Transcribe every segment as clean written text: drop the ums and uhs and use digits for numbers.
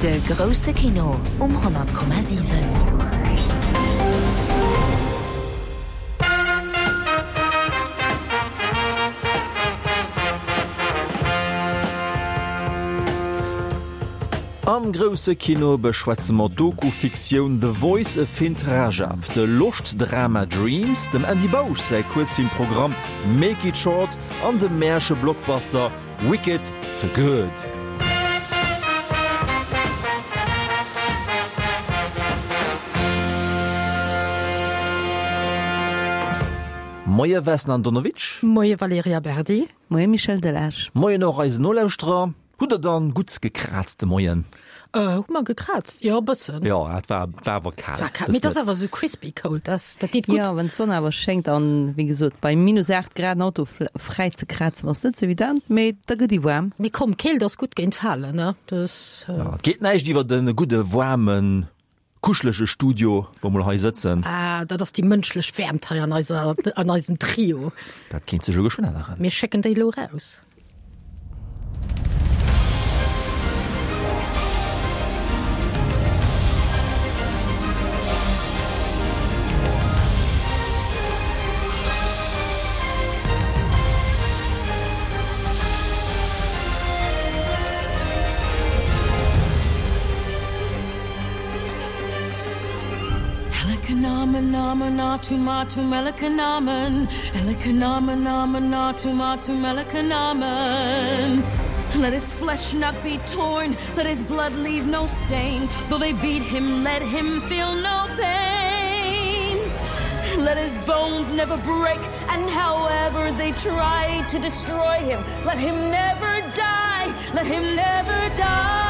De grousse Kino um 100,7. Am grousse Kino beschwätze mer d'Doku-Fiktioun The Voice of Hind Rajab, de Loscht-Drama Dreams, dem Andy Bausch säi Kuerzfilmprogramm Make It Short an de Märche-Blockbuster Wicked for Good. Moie Vesna Andonovic. Moie Valerija Berdi. Moie Michel Delage. Moien och eisen Nolauschterer. Hutt der dann gutt gekraazt de Moien? Hu mer gekraazt? Jo, e bëssen. Jo, et war, war awer kal. War kal, mee et ass awer esou crispy cold, dat, dat deet gutt. Jo, wann d'Sonn awer schéngt an, wéi gesot, bei minus 8 Grad en Auto fräi ze krazen ass net sou evident, mee da gëtt ee waarm. Mee komm, Keelt ass gutt géint Falen, ne? Dat. Jo, et geet näischt iwwer e gudde waarmen, kuschelege Studio, wou mer hei sëtzen. Ah, dat ass déi mënschlech Wäermt hei an eiser, an eisem Trio. Dat kéint sech elo geschwënn änneren. Mir schécken déi elo eraus. Let his flesh not be torn, let his blood leave no stain. Though they beat him, let him feel no pain. Let his bones never break, and however they try to destroy him, let him never die, let him never die.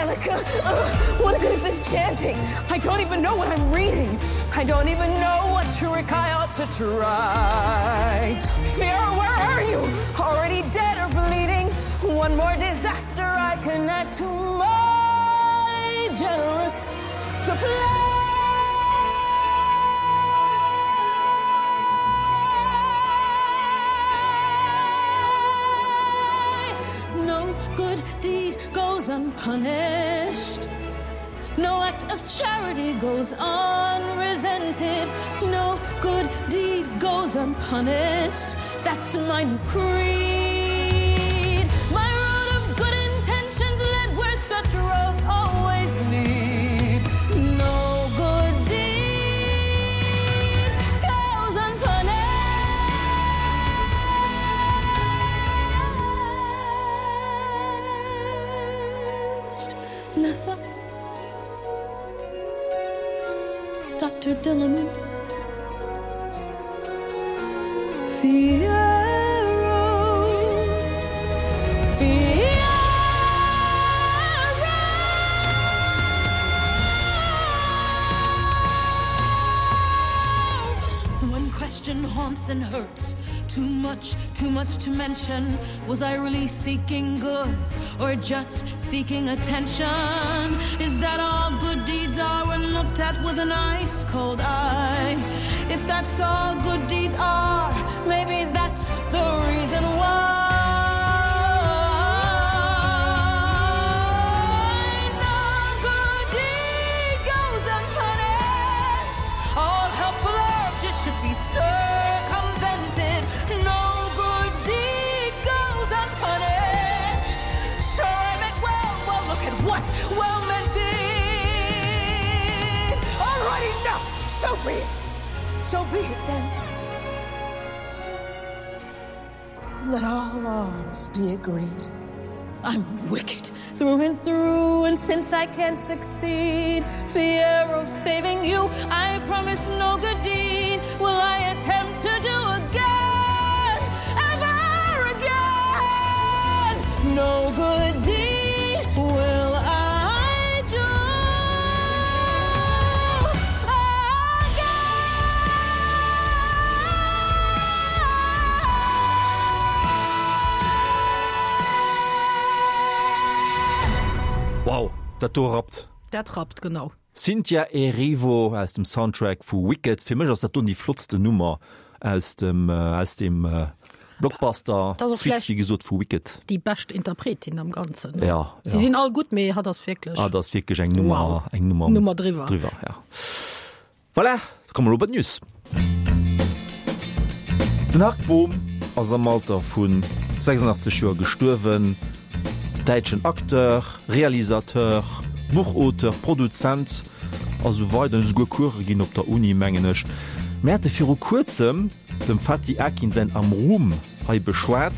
Elika, ugh, what good is this chanting? I don't even know what I'm reading. I don't even know what trick I ought to try. Fear, where are you? Already dead or bleeding? One more disaster I can add to my generous supply. No good deed goes unpunished. No act of charity goes unresented. No good deed goes unpunished. That's my new creed. My road of good intentions led where such roads always lead. No good deed goes unpunished. Nessa Dr. Dillamond Fiero Fiero One question haunts and hurts Too much, too much to mention Was I really seeking good or just seeking attention? Is that all good deeds are when looked at with an ice cold eye? If that's all good deeds are, maybe that's the reason why No good deed goes unpunished. All helpful urges should be circumvented. No good deed goes unpunished. Sure, I meant well, well, look at what well meant did. All right, enough. So be it. So be it then. Let all laws be agreed. I'm wicked through and through, and since I can't succeed, Fiero saving you, I promise no good deed will I attempt to do again, ever again. No good deed will I do again. Wow, dat do rappt. Dat rappt, genau. Cynthia Erivo aus dem Soundtrack vu Wicked. Fir mech ass dat do déi flottsten Nummer aus dem aus dem Blockbuster. Dat ass och Suite, vläicht wéi gesot, vu Wicked. déi bescht Interpretin am Ganzen. Ja, Si ja. sinn all gutt, mee hatt ass wierklech. Hatt ass wierklech eng Nummer, Wow. eng Nummer, Nummer driwwer. driwwer, ja. Voilà, da komme mer elo bei d'News. Den Hark Bohm ass am Alter vu 86 Joer gestuerwen. Däitschen Acteur, Realisateur, Buchauteur, Produzent a sou weider. En huet esouguer Course ginn op der Uni, mengen ech. Mir hate viru kuerzem dem Fatih Akin säin Amrum hei beschwat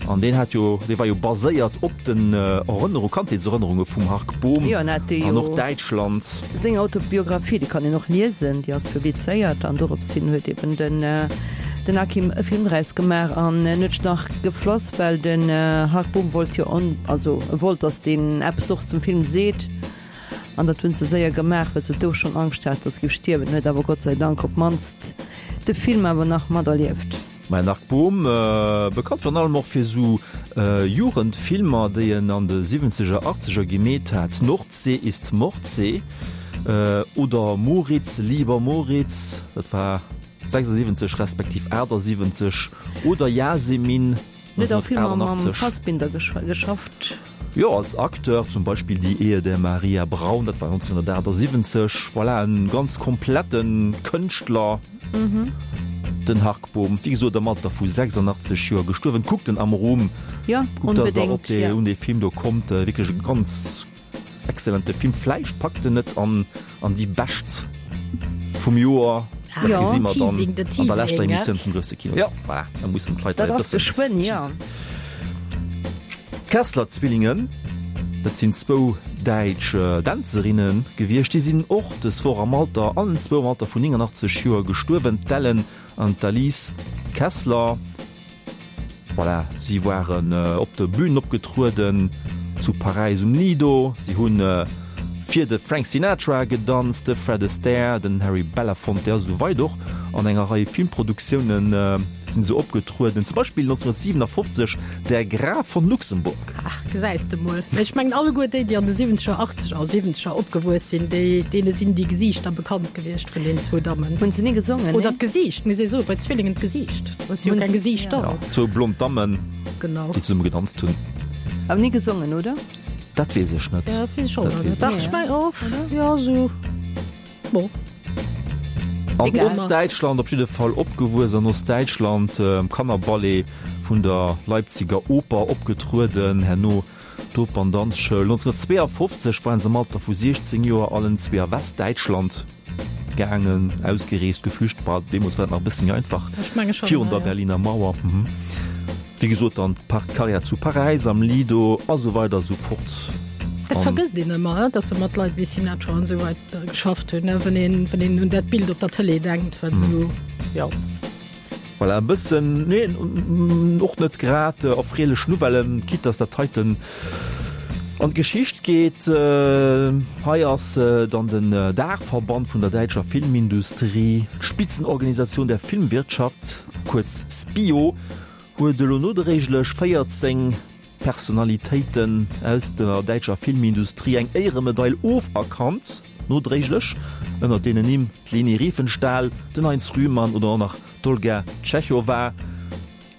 an deen hat jo, dee war jo baséiert op den Erënnerung, Kandheetserënnerunge vum Hark Bohm Jo, en hat dee an och jo Däitschland. Seng Autobiographie, déi kann een och liesen, déi ass publizéiert an dorops hin huet eben den den Akim e Film draus gemaach an en huet sech nach geflass, well den Hark Bohm wollt jo on, also e wollt, datt deen eppes och zum Film seet an dat hunn se séier gemaach, well se do schonn Angscht hat, datt e géif stierwen, huet awer Gott sei Dank op d'mannst de Film awer nach materlieft. Mä Marc Bohm, bekannt virun allem och fir sou Jugendfilmer, déi en an de siwwenzeger, achtzeger gemeet hat, Nordsee ist Mordsee oder Moritz, lieber Moritz, dat war 76 respektiv 78, oder Yasemin, Huet och Filmer mam 1988. Fassbinder geschafft. Jo, als Acteur zum Beispill Die Ehe der Maria Braun, dat war 1978. Voilà, en ganz komplette Kënschtler, den Hark Bohm. Wéi gesot, am Alter vu 86 Joer gestuerwen. Kuckt en am Ruhm, Jo, kuckt, dass der op onbedéngt, dee, jo. un dee Film do kommt. Wierklech e ganz Excellente Film, vläicht packt en et an an déi bescht vum Joer. Dat Jo, gesi mer dann Teasing, de an der leschter Teasing, Emissioun vum grousse Kino. Jo, voilà, da mussen d'Leit Dat e ass bëssen geschwënn, jo. teasen. D'Kessler-Zwillingen, dat sinn zwou däitsch Dänzerinne gewiescht, déi sinn och dës Woch am Alter, allen zwou am Alter vun 89 Joer gestuerwen, d'Ellen an d'Alice Kessler. Voilà, si waren op de Bünen opgetrueden zu Paräis um Lido. Si hu fir de Frank Sinatra gedanzt, de Fred Astaire, den Harry Belafonte a sou weider. Och an enger Rei Filmproduktioune sinn se opgetrueden, zum Beispill 1957 Der Graf von Luxemburg. Ach, gesäis de mol. Mä ech mengen alleguer déi, déi an de siwwenzeger, achtzeger a siwwenzeger opgewuess sinn, déi, deene sinn déi Gesiichter bekannt gewiescht vun deenen zwou Dammen. Hunn se ni gesongen, Oder nee? d'Gesiicht, mir si soe bei Zwillingen d'Gesiicht, well se jo Hunn keng se, Gesiichter ja. hunn. Ja, zwou blond Dammen, Genau. déi zesumme gedanzt hunn. Awer ni gesongen, oder? Dat weess ech net. Ja, dat weess ech och Dat net. weess Dach, ech ech net. meng och, ja, esou, bon. An Egal. Ostdäitschland op jidde Fall opgewuess, an Ostdäitschland am Kannerballet vun der Leipziger Oper opgetrueden, herno d'Operndanzschoul. 1952 waren se am Alter vu 16 Joer allen zwee a Westdäitschland gaangen, ausgereest, geflücht. Bah, deemools war et nach e bësse méi einfach, Ech menge schon, virun ja, der ja. Berliner Mauer. Wéi gesot, dann d'Karriär zu Paräis, am Lido a sou weider a sou fort. Dat An vergësst een ëmmer, dass se mat Leit wéi Sinatra an esou weider geschafft hunn, wann een, wann een un dat Bild op der Tëlee denkt, wat esou, jo. Voilà, e bëssen, nee, och net grad erfreelech Nouvellen, quitte dass dat heiten an d'Geschicht geet. Hei ass dann den Daachverband vun der däitscher Filmindustrie, d'Spitzenorganisatioun der Filmwirtschaft, kuerz SPIO, huet elo nodréiglech 14 Personalitéiten aus der däitscher Filmindustrie eng Éieremedail oferkannt, nodréiglech, ënnert deenen Nimm d'Leni Riefenstahl, den Heinz Rühmann oder och nach d'Olga Tschechowa.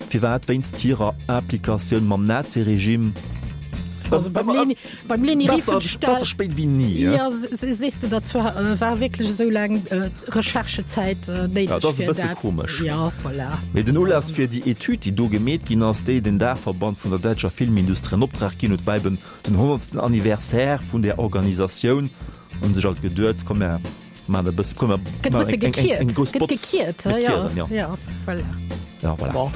Firwat? Wéinst hirer Implikatioun mam Naziregime. Also beim Leni, beim Leni Besser, Riefenstahl. besser spéit wéi ni. Ja, sees de, dat war, war wierklech esou laang Recherchezäit néideg Ja, dat ass e fir bësse dat. komesch. Ja, voilà. Mee den Ulass fir déi Etüd, déi do gemeet ginn ass, déi den Daachverband vun der däitscher Filmindustrie an Optrag ginn huet, war eben den honnertsten Anniversaire vun där Organisatioun. Hunn sech alt geduet, komm mär maachen e bësse, komm mär Gëtt e maachen bësse eng, eng, eng, eng gekiert. grouss Gëtt Botz. gekiert, Mir ja. kieren, ja. Ja, voilà. Ja, voilà. Bon.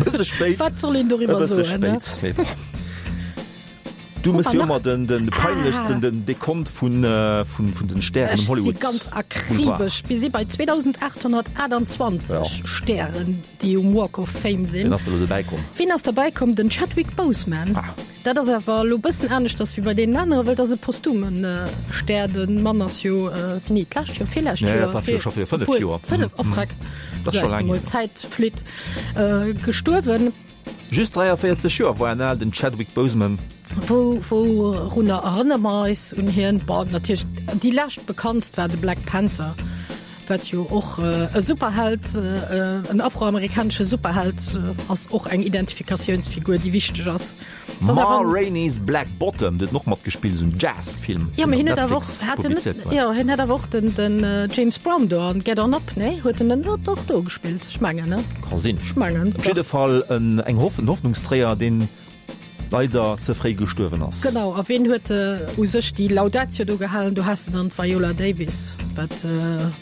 Bësse spéit. Wat soll een E doriwwer bësse soen, ne? spéit, mee bon. Du mëss jo ëmmer den, den peinlechsten, den Dekont vun, vun, vun den Stären Ech um si Hollywood ganz Boulevard. akribesch. Mir si bei 2828 Ja. Stären, déi um Walk of Fame sinn. Wien ass da lo dobäi komm? Wien ass derbäi komm? Den Chadwick Boseman. Ah. Dat ass awer elo bëssen aneschters wéi bei deenen aneren, well dat ass e posthumen Stär. De Mann ass jo, wéini, d'lescht Joer, virlescht Ja, Joer? dat war viru scho viru 5 Obwuel, Joer. 5, oh freck, Dat ass scho du laang mol, hier. d'Zäit flitt, gestuerwen. Just 43 Joer war en al, den Chadwick Boseman. Wou, wourunner erënnere mer eis un hien? Bon, natierlech déi lescht bekanntst war de Black Panther, wat jo och e Superheld, en afroamerikanesche Superheld ass, och eng Identifikatiounsfigur, déi wichteg ass. Ma Rainey's Black Bottom, do huet en och matgespillt, esou en Jazz-Film, Jo, mee hien huet awer och, hat en net, jo, hien hat awer och den, den James Brown do an Get On Up, nee? Huet en net och do gespillt? Ech mengen, ne? Ka sinn. Ech mengen, Op jidde Fall en, eng Hoff, en Hoffnungsträger, deen leider ze fréi gestuerwen ass. Genau, a ween huet u sech déi Laudatio do gehalen? Do has de dann d'Viola Davis, wat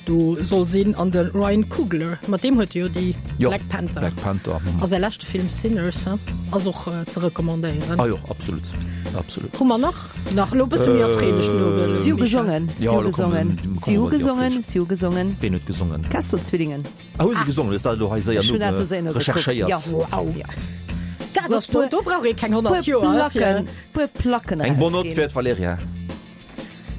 do soll sinn, an de Ryan Coogler, mat deem huet e jo déi Black Panther. Black Panther. A säi leschte Film Sinners, he, ass och ze recommandéieren. Ah jo, absolut, absolut. Hu mer nach, nach elo e bësse méi erfreelech Nouvellen, Si hu gesongen, si hu gesongen, si hu gesongen, si hu gesongen. Ween huet gesongen? D'Kessel-Zwillingen. Ah, hu se gesongen? Hues dat elo hei séier no recherchéiert? Wow! Dat ass do, do brauch ee keng 100 Joer fir. Puer Placken Eng bonne note fir d'Valerija.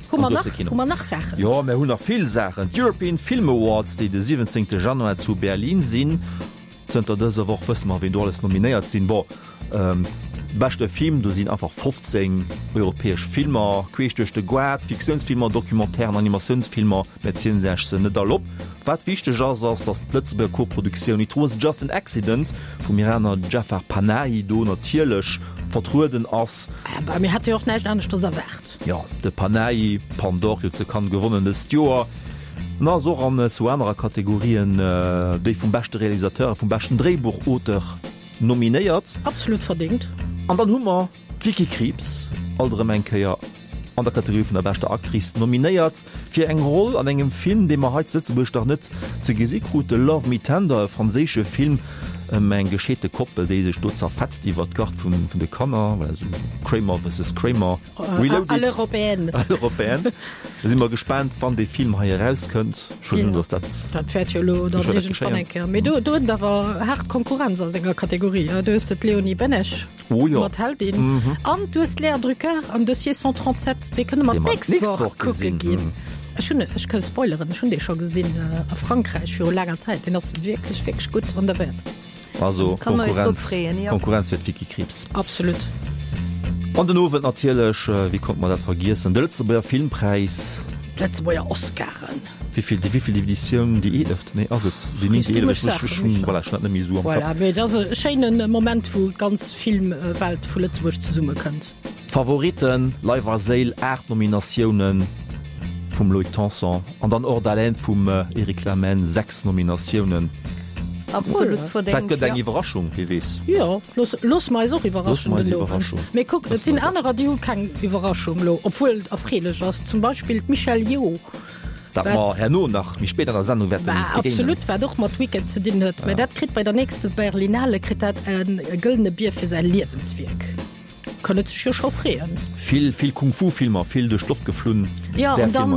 Hu mer nach, hu mer nach Saachen? Jo, mir hunn nach vill Saachen. D'European Film Awards, déi de 17. Januar zu Berlin sinn. Zënter dëser Woch wësse mer, wien do alles nominéiert sinn. Bon, beschte Film, do sinn einfach 15 europäesch Filmer queesch duerch de Goart, Fiktiounsfilmer, Documentairen, Animatiounsfilmer. Mir zielen lech se net all op. Wat wichteg ass, ass, datt d'Lëtzebuerger Koproduktioun It Was Just an Accident vum Iraner Jafar Panahi do natierlech vertrueden ass. Bah, mir hate jo och näischt aneschters erwaart. Jo, de Panahi, Palme d'Or jo zu Cannes gewonnen dëst Joer. En ass och an zwou anerer Kategorien, déi vum beschte Realisateur a vum beschten Dréibuchauteur, nominéiert. Absolut verdéngt. An dann hu mer d'Vicky Krieps, alt erëm eng Kéier an der Kategorie vun der beschter Actrice nominéiert, fir eng Roll an engem Film, dee mer hei zu Lëtzebuerg nach net ze gesi krute, Love Me Tender, e franséische Film ëm eng gescheete Koppel, déi sech do zerfetzt iwwer d'Gard vun de Kanner, voilà, esou Kramer versus Kramer reloaded. À l'européenne. À l'européenne. Da si mer gespaant, wann dee Film hei erauskënnt. Ech huelen un, dass dat. Dat wäert jo elo dann iergendwann eng Kéier. Mee do, do huet en awer haart Konkurrenz a senger Kategorie. Du hues de d'Léonie Benesch oh, jo. mat Heldin mhm. an du hues d'Léa Drucker am Dossier 137. Dee kënne mer d'nächst Woch kucke ginn. Ech hunn, ech kënn spoileren, ech hunn dee scho gesinn äh, a Frankräich viru laanger Zäit. Deen ass wierklech, wierklech gutt an der Wäert. Also Konkurrenz, Konkurrenz fir d'Vicky Krieps. Absolut. An den Owend natierlech, wéi konnt mer dat vergiessen, de Lëtzebuerger Filmpräis. D'Lëtzebuerger Oscaren. Wéivill, déi wéivill Editioun? Déi eeleft? Nee, ass et déi néngte, eeleft? Ech, ech hunn, voilà, ech hunn dat net méi esou am Kapp. Voilà, mee et ass e schéine Moment, wou d'ganz Filmwelt vu Lëtzebuerg zesummekënnt. D'Favoritten, Leif a Séil, 8 Nominatiounen vum Loïc Tanson an dann Hors d'haleine vum Eric Lamen, 6 Nominatiounen. Absolut verdéngt. Dat gëtt eng Iwwerraschung, wie weess. Jo, looss, looss mer eis och iwwerraschen den Owend. Mee kuck, et sinn anerer, déi hu keng Iwwerraschung elo, obwuel et erfreelech ass, zum Beispill d'Michelle Yeoh. Dat mer herno nach méi spéit an der Sendung wäerten begéinen. Absolut, wat och mat Wicked ze dinn huet. Mä dat kritt bei der nächste Berlinale kritt dat e gëllene Bier fir säi Liewenswierk. Kann et sech jo scho freeën. Vill, vill Kung-Fu-Filmer, vill duerch d'Loft geflunn. Ja, an dann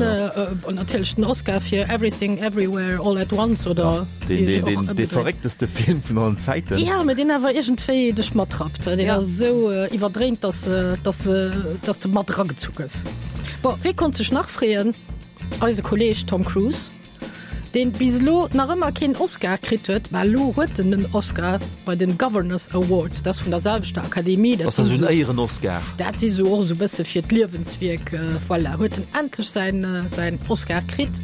natierlech den Oscar fir Everything Everywhere All at Once oder deen, deen, deen, dee verréckteste Film vun allen Zäiten. Ja, mä deen awer iergendwéi dech matrappt. Deen ass esou iwwerdréint, dass, dass, dass de mat eragezu gëss. Bon, wee konnt sech nach freeën? Eise Kolleeg Tom Cruise. Deen bis elo nach ëmmer keen Oscar kritt huet, mä elo huet en den Oscar bei den Governors Awards, dat ass vun der selwechter Akademie, dat ass esou en Éieren-Oscar. Dat si sou och esou bësse fir d'Liewenswierk, voilà, huet en endlech säin säin Oscar kritt.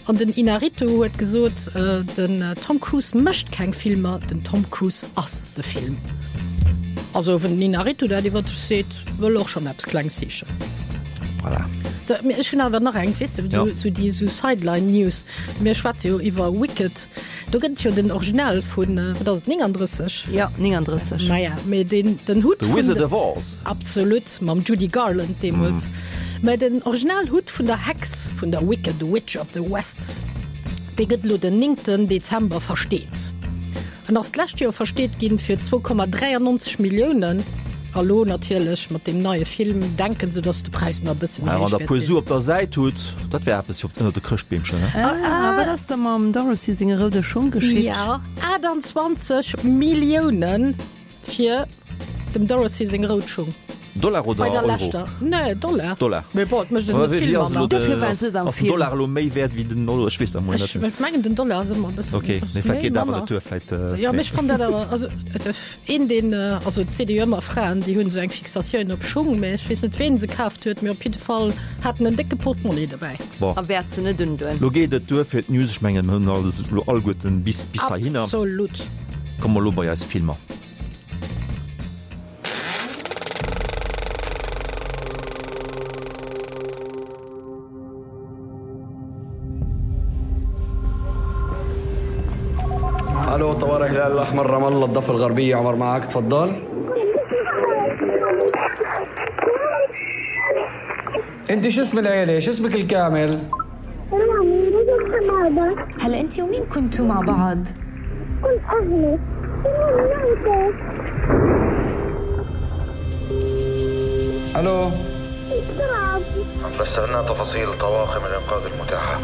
An den Inarritu huet gesot, den Tom Cruise mécht keng Filmer, den Tom Cruise ass de Film. Also wann den Inarritu dat iwwer sech seet, wëll och schonn eppes Klengs heeschen. Voilà. So, mir, ech hunn awer nach eng, weess de, ja. so, déi so Sideline News. Mir schwätze jo iwwer Wicked. Do gëtt jo den Original vun, äh, wat ass et, 39? Ja, 39. Naja, mee den, den Hutt The Wizard of Oz. Absolut, mam Judy Garland deemools. Mm. Mä den Originalhutt vun der Hex, vun der Wicked Witch of the West, dee gëtt lo den 9. Dezember versteet. En ass d'lescht Joer versteet ginn fir 2,93 Milliounen. A lo natierlech mat deem neie Film denken se, datt de Präis nach e bësse méi Wann héich der wäert puer sinn. Su op der Säit hutt, dat wär eppes fir op ënnert de Chrëschtbeemchen, ne? Ah, wat ass da mam Dorothy senge roude Schong geschitt? Jo, 28 Millioune fir dem Dorothy seng rout Schung. Dollar oder Bei der Euro? leschter. Nee, Dollar. Dollar. Mee bon, et mécht et net vill manner. Dofir war se et am Ass den Film. Dollar elo méi wäert wéi den Euro? Ech weess dat mol Ech net. ech mengen den Dollar ass ëmmer e bëssen Okay, nee, vläicht méi geet awer manner. net duer, vläicht. Jo, mee ech fannen dat awer, also et een deen, also et seet ee jo ëmmer Fraen déi hunn esou eng Fixatioun op Schung, mee ech weess net ween se kaaft huet, mee op jidde Fall hat en en décke Portmonnie dobäi. Bon. A wäert se net undoen. Lo geet et duer fir d'News. Ech mengen, mir hunn alles elo alleguerten bis bis heihinner. Absolut. Komme mer elo bei eis Filmer. الو طوارئ الهلال الاحمر رام الله الضفه الغربيه عمر معك تفضل انت شو اسم العيله شو اسمك الكامل هلا انت ومين كنتوا مع بعض؟ كنت اهلي الو بس عنا تفاصيل طواقم الإنقاذ المتاحة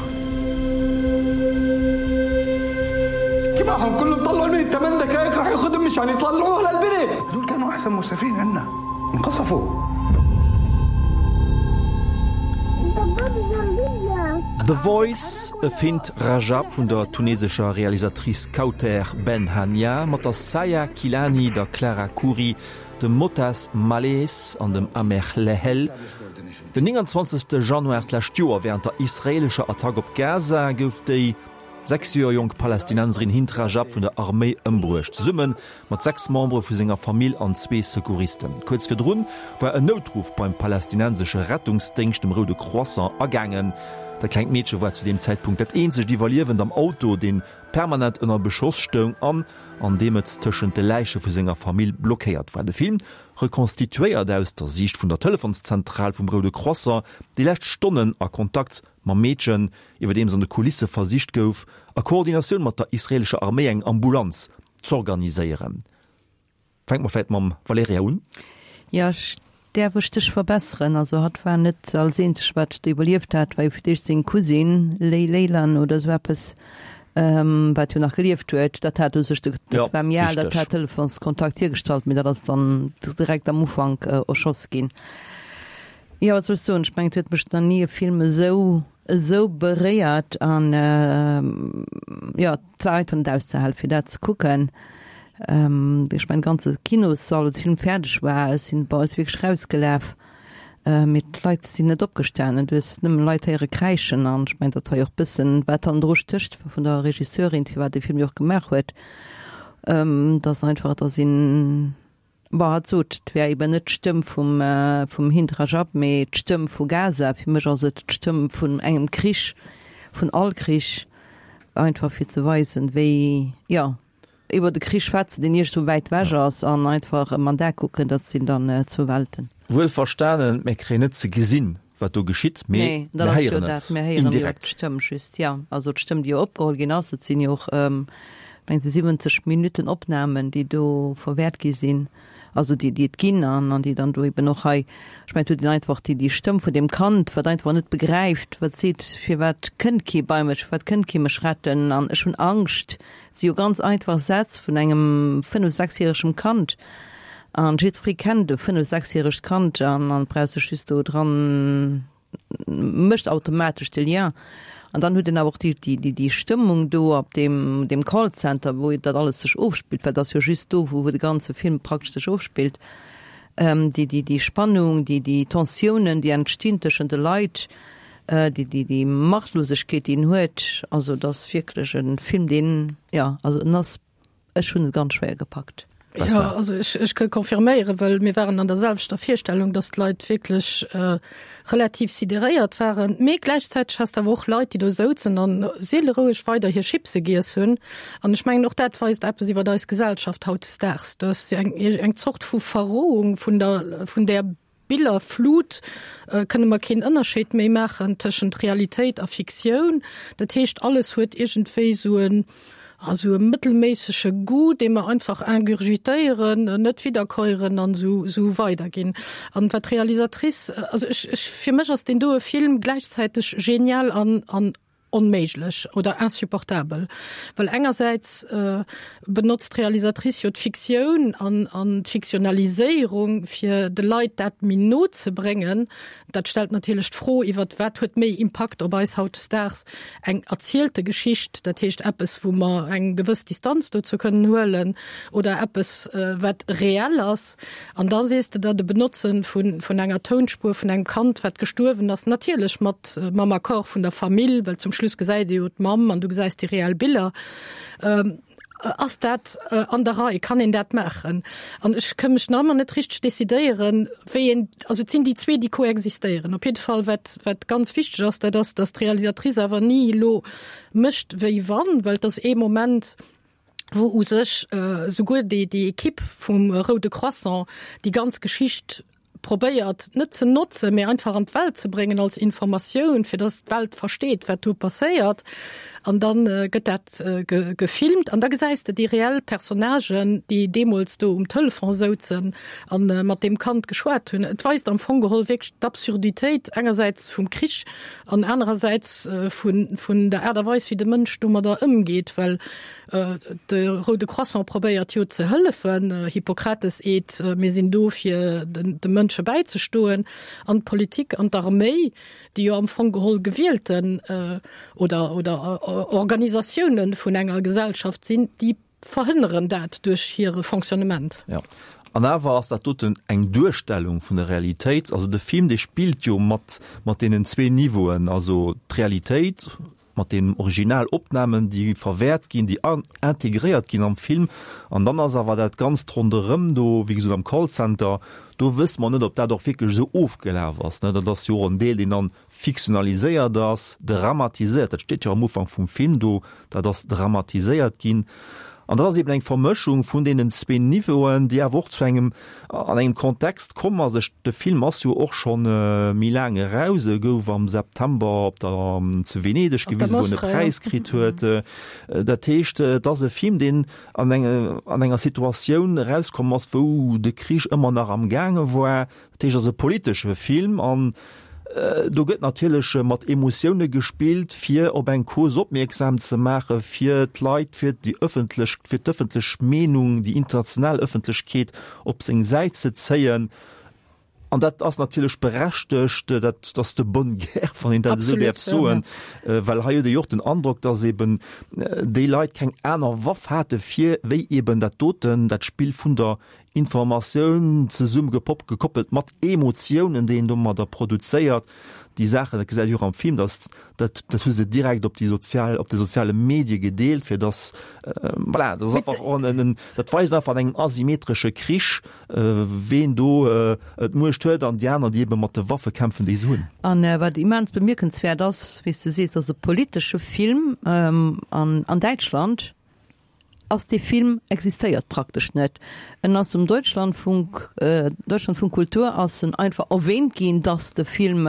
كمان كلهم طلعوا الميت 8 دقائق راح ياخذهم مشان يطلعوها للبنت هدول كانوا أحسن مسافين عنا انقصفوا The Voice, e Fint Rajab vun der tunesescher Realisatrice Kaouther Ben Hania mat der Saya Kilani, der Clara Khoury, dem Motaz Malhees an dem Amer Hlehel. Den 29 Januar d'lescht Joer, wärend der israeelescher Attack op Gaza, gouf déi 6 Joer jonk Palästinenserin Hind Rajab vun der Arméi ëmbruecht, zesumme mat 6 Membere vu senger Famill an zwee Secouristen. Kuerz virdrun war en Noutruff beim palästinensesche Rettungsdéngscht, dem Roude Croissant, agaangen. Dat klengt Meedche war zu deem Zäitpunkt dat eenzegt Iwwerliewend am Auto, deen permanent ënner Beschoss stoung an an deem et tëschent de Läiche vu senger Famill blockéiert war. De Film rekonstituéiert aus der Siicht vun der Telefonszentral vum Roude Croissant déi lescht Stonnen a Kontakt mam Meedchen, iwwerdeems an de Kulisse versicht gouf, a Koordinatioun mat der israeelescher Arméi eng Ambulanz z'organiséieren. Fänke mer vläit mam Valerija un. Jo, ech däerf ech dech verbesseren. Also hatt war net als eenzeg wat do iwwerlieft hat, war jo fir d'éischt seng Cousine Ley Leylan oder esou eppes, wat jo nach gelieft huet. Dat hat u sech de, dat war méi al, dat hat Telefonskontakt hiergestallt, mee dat ass dann direkt am Ufank erschoss ginn. Jo, wat soll ech soen, ech mengen et huet mech nach ni e Film esou esou beréiert an jo, et war einfach net auszehalen fir dat ze kucken. Ech mengen de ganze Kinossall, wou de Film fäerdeg war, ech sinn bei eis wierklech rausgelaf, mee d'Leit sinn net opgestanen, du hues nëmmen Leit héiere kräischen an ech mengen dat war jo och bëssen wat hannendru stécht vun der Regisseurin, firwat dee Film jo och gemaach huet, dass einfach, dass een Bon, hatt sot, et wär eben net d'Stëmm vum, vum Hind Rajab, mee d'Stëmm vu Gaza. Fir mech ass et d'Stëmm vun engem Krich, vun all Krich, einfach fir ze weisen, wéi, jo, iwwer e Krich schwätzen, deen iergendwou wäit ewech ass, an einfach ëm an d'A kucken, dat sinn dann zwou Welten. Wuel verstanen, mir kréien net ze gesinn, wat do geschitt, mee Nee, dat mir ass jo héieren dat, et mir héieren jo indirekt. d'Stëmm just, jo. Also d'Stëmm, déi jo opgeholl ginn ass, et sinn jo och, mengen se 70 Minutten Opnamen, déi do verwäert gi sinn, also déi, déi et ginn an an déi dann do eben och hei, ech mengen, et huet een einfach déi, déi Stëmm vun deem Kand, wat einfach net begräift, wat seet, firwat kënnt kee bei mech, firwat kënnt kee mech retten an ech hunn Angscht. Et si jo ganz einfach Sätz vun engem fënnef-, sechsjäregem Kand. An jiddweree kennt e fënnef-, sechsjäregt Kand an an brauch sech just do dran, mécht automatesch de Lien. An dann huet een awer och déi, déi, déi Stëmmung do op deem, deem Callcenter, wou dat alles sech ofspillt, well et ass jo just do, wou, wou de ganze Film praktesch sech ofspillt, déi, déi, déi Spannung, déi, déi Tensiounen, déi entstinn tëschent de Leit, déi, déi, déi Machtlosegkeet, déi en huet. Also et ass wierklech e Film, deen, jo, also en ass Ech hunn et ganz schwéier gepackt. Jo, also ech, ech kënn confirméieren, well mir waren an der selwechter Virstellung, dass d'Leit wierklech äh, relativ sideréiert waren. Mee gläichzäiteg has de awer och Leit, déi do souzen an seeleroueg weider hir Chipse giess hunn. An ech mengen, och dat weist eppes iwwer eis Gesellschaft hautdesdaags, dass eng, eng Zort vu Verrohung vun der, vun där Billerflut kënne mer keen Ënnerscheed méi maachen tëschent Realitéit a Fiktioun. Dat heescht, alles huet iergendwéi esou en, esou e mëttelméissege Goût, dee mer einfach ingurgitéieren, net widderkäueren an esou, esou weiderginn. An wat d'Realisatrice, also ech, ech, fir mech ass deen doe Film gläichzäiteg genial an, an. onméiglech oder insupportabel, well engersäits benotzt d'Realisatrice jo d'Fiktioun an an d'Fiktionaliséierung, fir de Leit dat méi no ze bréngen. Dat stellt natierlech d'Fro iwwert wat huet méi Impakt op eis hautdesdaags, eng erzielte Geschicht, dat heescht eppes, wou mer eng gewëss Distanz dozou kënnen huelen, oder eppes, wat reell ass. An da sees de der, de Benotze vun vun enger Tounspuer vun engem Kand, wat gestuerwen ass, natierlech mat mam Accord vun der Famill, well zum Schluss gesäit ee jo d'Mamm an du gesäis déi reell Biller, Ass dat an der Rei? Kann een dat maachen? An ech ka mech nach ëmmer net richteg decidéieren, wéi een, also et sinn déi zwee, déi koexistéieren. Op jidde Fall, wat, wat ganz wichteg ass, dat ass, datt d'Realisatrice awer ni elo mécht wéi wann, well et ass ee Moment, wou u sech souguer déi, déi Equipe vum Roude Croissant déi ganz Geschicht probéiert net ze notzen, mee einfach an d'Welt ze bréngen als Informatioun, fir dass d'Welt versteet, wat do passéiert. An dann gëtt dat gefilmt an da gesäis de déi reell Personnagen, déi deemools do um Telefon souzen a mat deem Kand geschwat hunn. Et weist am Fong geholl wierklech d'Absurditéit engersäits vum Krich an anerersäits vun der Aart a Weis, wéi de Mënsch domadder ëmgeet, well De Roude Croissant probéiert jo ze hëllefen, Hippokrates-Eed, mir sinn do fir de Mënsche bäizestoen. An d'Politik an d'Arméi, déi jo am Fong geholl gewielten oder oder Organisatioune vun enger Gesellschaft sinn, déi verhënneren dat duerch hire Fonctionnement. Jo, an awer ass dat doten eng Duerstellung vun der Realitéit. Also de Film, dee spillt jo mat mat deenen zwee Niveauen, also d'Realitéit, mat den Originalopnamen, déi verwäert ginn, déi integréiert ginn am Film. An dann ass awer dat Ganzt ronderëm do, wéi gesot am Callcenter, do wësse mer net, ob dat och wierklech esou ofgelaf ass. Dat ass jo och en Deel, deen dann fiktionaliséiert ass, dramatiséiert, dat steet jo am Ufank vum Film do, dat ass dramatiséiert ginn. An dat ass eben eng Vermëschung vun deenen zwee Niveauen, déi awer och zu engem, an engem Kontext komm ass. Ech, de Film ass jo och scho méi laang eraus, e gouf am September op der, zu Venedeg gewisen, wou en e Präis kritt huet. Dat heescht, et ass e Film, deen an eng, an enger Situatioun erauskomm ass, wou de Krich ëmmer nach am gaange war. Dat heescht, et ass e politesche Film an do gëtt natierlech mat Emotioune gespillt, fir op eng Cause opmierksam ze maachen, fir d'Leit, fir déi ëffentlech, fir d'ëffentlech Meenung, déi international Ëffentlechkeet op seng Säit ze zéien. An dat ass natierlech berechtegt, dat ass de bonne guerre, wann een dat esou däerf soen, well hei huet ee jo och den Androck, datt eben déi Leit keng aner Waff hate fir wéi eben dat doten, dat Spill vun der Informatioun zesumme gepop, gekoppelt mat Emotiounen, déi een domadder produzéiert. Déi Saachen, dat gesäit ee jo och am Film, dass dat, dat hu se direkt op déi sozial, op de soziale Medie gedeelt, fir dass, voilà, dat ass einfach och en, en, dat weist einfach an engem asymmetresche Krich, ween do d'Muecht huet an déi aner, déi ebe mat de Waffe kämpfen, déi se hunn. An wat immens bemierkenswäert ass, wéi s de sees, ass e politesche Film an an Däitschland, ass dee Film existéiert praktesch net. En ass um Deutschlandfunk, Deutschlandfunk Kultur ass en einfach erwähnt ginn, dass de Film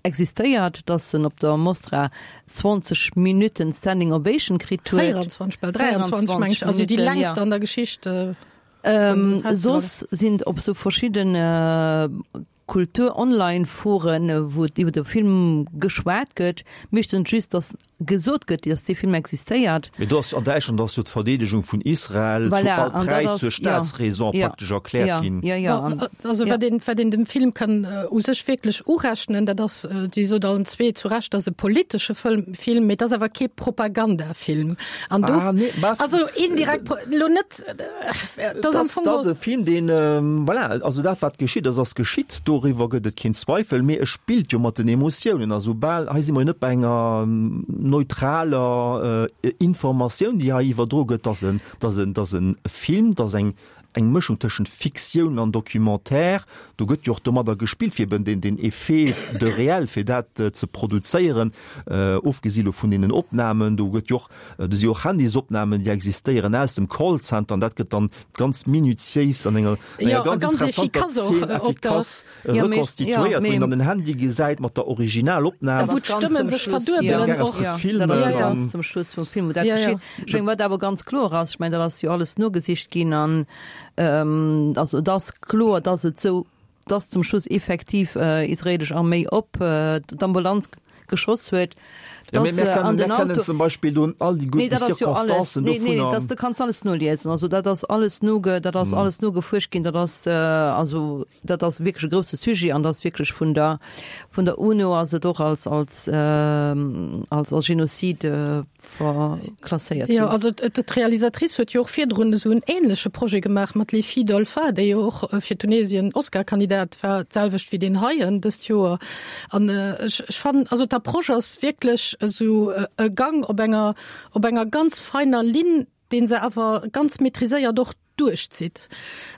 existéiert, dass en op der Mostra 20 Minuten Standing Ovation kritt huet. 24, bal 23 meng ech, also déi längst an der Geschicht. Soss sinn op sou verschidden Kultur-Online-Foren, wou iwwer de Film geschwat gëtt, meeschtens just, datt gesot gëtt, datt dee Film existéiert. Mee do ass an Däitschland ass jo d'Verdeedegung vun Israel zu all Präis zur Staatsräson praktesch erkläert ginn. Also wat een, wat een dem Film kann u sech wierklech urechnen, dat ass, Dir sot allen zwee zu Recht, dat ass e politesche Film, mee et ass awer kee Propagandafilm. An do, also indirekt, elo net, Dat ass e Film, deen, voilà, also dat wat geschitt ass, ass geschitt, doriwwer gëtt et keen Zweifel, mee e spillt jo mat den Emotiounen a soubal, hei si mer jo net bei enger neutraler Informatioun, déi hei iwwerdro gëtt, dat ass en, dat ass en, dat ass e Film, dat ass eng, eng Mëschung tëschent Fiktioun an Documentaire, do gëtt jo och domadder gespillt, fir eben deen, deen Effet de réel, fir dat ze produzéieren, ofgesi lo vun deenen Opnamen, do gëtt jo och Do si och Handysopnamen, déi existéieren aus dem Callcenter an dat gëtt dann ganz minutiéis an enger, enger ganz interessanter Zeen effikass rekonstituéiert, wou een dann den Handy gesäit mat der Originalopnam. Wou d'Stëmmen sech verduebelen och. Dat ass ganz zum Schluss vum Film, wou dat geschitt. Ech mengen, wat awer ganz kloer ass, ech mengen, dat ass jo alles nogesicht ginn an also et ass kloer, dass et esou dass zum Schluss effektiv israelesch Arméi op d'Ambulanz geschoss huet. Ja, mee mir kennen, mir kennen zum Beispill do all déi gutt Circonstancen dovunner. Nee, nee, dat, du kanns alles noliesen. Also dat ass alles noge, dat ass alles nogefuerscht ginn. Dat ass, also dat ass wierklech e grousse Sujet an dat ass wierklech vun der, vun der UNO ass et och als, als, als, als Genozid verklasséiert ginn. Jo, also d'Realisatrice huet jo och virdrun esou en ähnleche Projet gemaach mat Les filles d'Olfa, déi jo och fir Tunesien Oscar-Kandidat war, d'selwecht wéi deen heien dëst Joer. An ech, ech fannen, also d'Approche ass wierklech esou e Gang op enger, op enger ganz feiner Linn, dee se awer ganz maîtriséiert och duerchzitt.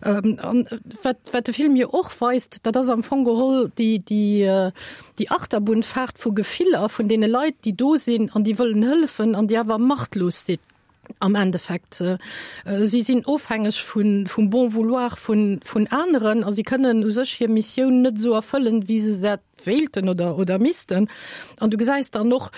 An wat, wat de Film jo och weist, dat ass am Fong geholl déi, déi, déi Achterbunn-Fahrt vu Gefiller vun deene Leit, déi do sinn an déi wëllen hëllefen an déi awer machtlos sinn am Endeffekt. Si sinn ofhängeg vun, vum Bon vouloir vun, vun aneren a si kënnen u sech hir Missioun net esou erfëllen, wéi se dat wéilten oder, oder missten. An du gesäis dann och,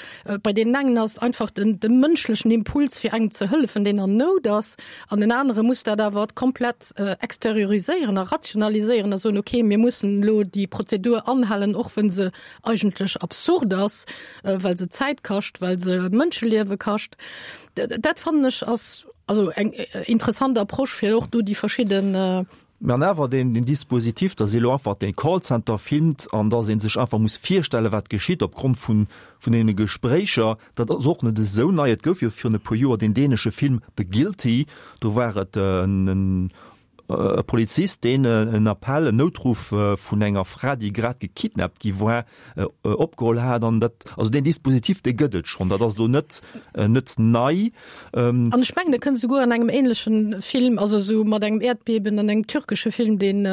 bei deenen engen ass einfach den, de mënschlechen Impuls fir engem ze hëllefen, deen an Nout ass, an den anere muss dat awer komplett exterioriséieren a rationaliséieren a soen, okay, mir mussen elo déi Prozedur anhalen, och wenn se eigentlech absurd ass, well se Zäit kascht, well se Mënscheliewe kascht. Dat fannen ech ass also eng interessant Approche fir och do déi verschidden Mä an awer deen, deen Dispositif, dass ee elo einfach dee Callcenter filmt an dass ee sech einfach muss virstellen, wat geschitt opgrond vun, vun deene Gespréicher, dat ass och net esou nei. Et gouf jo virun e puer Joer deen dänesche Film The Guilty, do war et en e Polizist, deen en Appell, en Noutruff vun enger Fra, déi grad gekidnappt gi war, opgeholl hat. An dat, also deen Dispositif, dee gëtt et schonn, dat ass elo net, net nei. An ech mengen, e kënnt esouguer an engem ähnlechen Film, also esou mat engem Äerdbeben an engem türkesche Film, deen,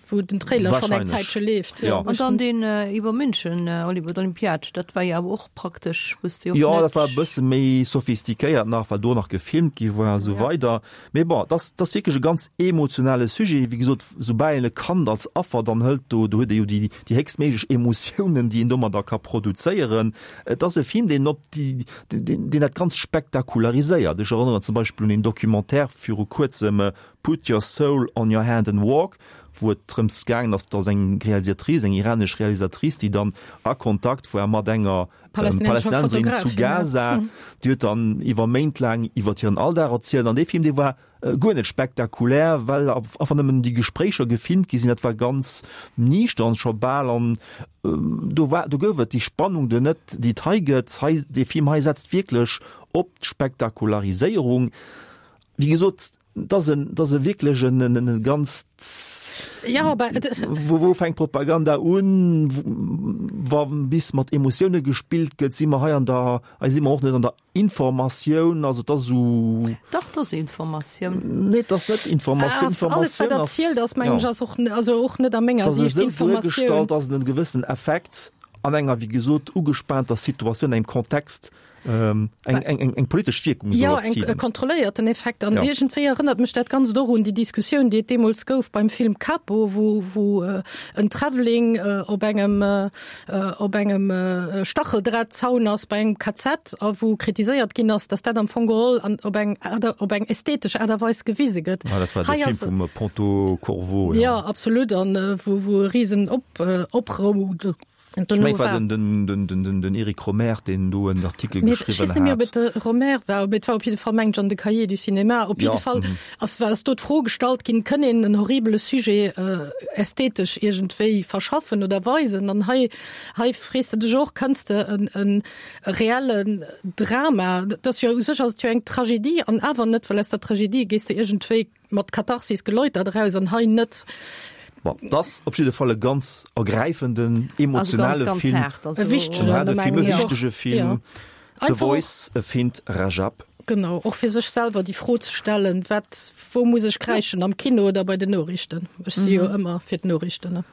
wou den Trailer schonn eng Zäitche leeft. Jo. An dann deen iwwer München, Hollywood Olympiad, dat war jo awer och praktesch, wou s de och net. Jo, dat war e bësse méi sophistiquéiert nach, well do nach gefilmt gi war a sou weider. Mee bon, et ass, et ass wierklech e ganz emotionale Sujet. Wéi gesot, soubal een e Kand als Affer dann hëlt, do, do huet ee jo déi, déi héchstméiglech Emotiounen, déi een domadder ka produzéieren. Et ass e Film, deen op déi, deen, deen dat Ganzt spektakulariséiert. Ech erënneren zum Beispill un een Documentaire viru kuerzem, Put Your Soul on Your Hand and Walk, wou et drëms gaangen ass, dass eng Realisatrice, eng iranesch Realisatrice, déi dann a Kontakt war mat enger Palästinenserin zu Gaza, déi huet dann iwwer Méint laang iwwer hiren Alldag erzielt. An dee Film, dee war guer net spektakulär, well einfach nëmmen déi Gespréicher gefilmt gi sinn. Dat war ganz niichtern scho bal an do war, do gouf et déi Spannung do net, déi et hei gëtt. Hei, dee Film hei setzt wierklech op d'Spektakulariséierung. Wéi gesot, Et ass en, et ass e wierklech en, en, en ganz, Ja, aber wou, wou fänkt Propaganda un, wa bis mat Emotioune gespillt gëtt, si mer hei an der, hei si mer och net an der Informatioun, also et ass esou. Dach, et ass Informatioun. Nee, et ass net Informatioun. Ah, alles wat erzielt ass, mengen ech, ass och, also och net a menger Sicht Informatioun. Et ass esou duergestallt, dass et en gewëssen Effekt an enger, wéi gesot, ugespaanter Situatioun, engem Kontext eng, eng, eng, eng politesch Wierkung soll erzilen. Ja, eng kontrolléierten Effekt. An ja. iergendwéi erënnert mech dat Ganzt och un déi Diskussioun, déi et deemools gouf beim Film Capo, wou, wou äh, en Travelling äh, op engem, äh, op engem äh, Stacheldrahtzaun ass bei engem KZ a wou kritiséiert ginn ass, dass dat am Fong geholl an op eng, op eng ästhetesch Aart a Weis gewise gëtt. Ah, dat war de Film vum Ponto Corvo. Ja, ja absolut. An äh, wou, wou e Riesen op, äh, Oprou Ech mengen, et war den, den, den, den, den Eric Rohmer, deen do en Artikel geschriwwen hat. Ech weess net méi, ob et de Rohmer war, mee et war op jidde Fall, mengen ech, an de Cahiers du Cinéma. Op jidde Fall ass, war, ass do d'Fro gestallt ginn, Kënn een en horribele Sujet ästhetesch iergendwéi verschaffen oder weisen? An hei, hei frees de dech och, Kënns de en, en reellen Drama, dat ass jo, u sech ass et jo eng Tragedie, an awer net, well aus der Tragedie gees de iergendwéi mat Katharsis geläutert eraus an hei net. Bon, et ass op jidde Fall e ganz ergräifenden, emotionale also ganz, ganz Film. Haart, also, e wichtegen, en haarde Film, e wichtege Film. Ja. The Voice Find Rajab. Genau, och fir sech selwer déi Fro ze stellen, wat, wou muss ech kräischen, am Kino oder bei den Noriichten? Ech si jo ëmmer fir d'Noriichten, ne?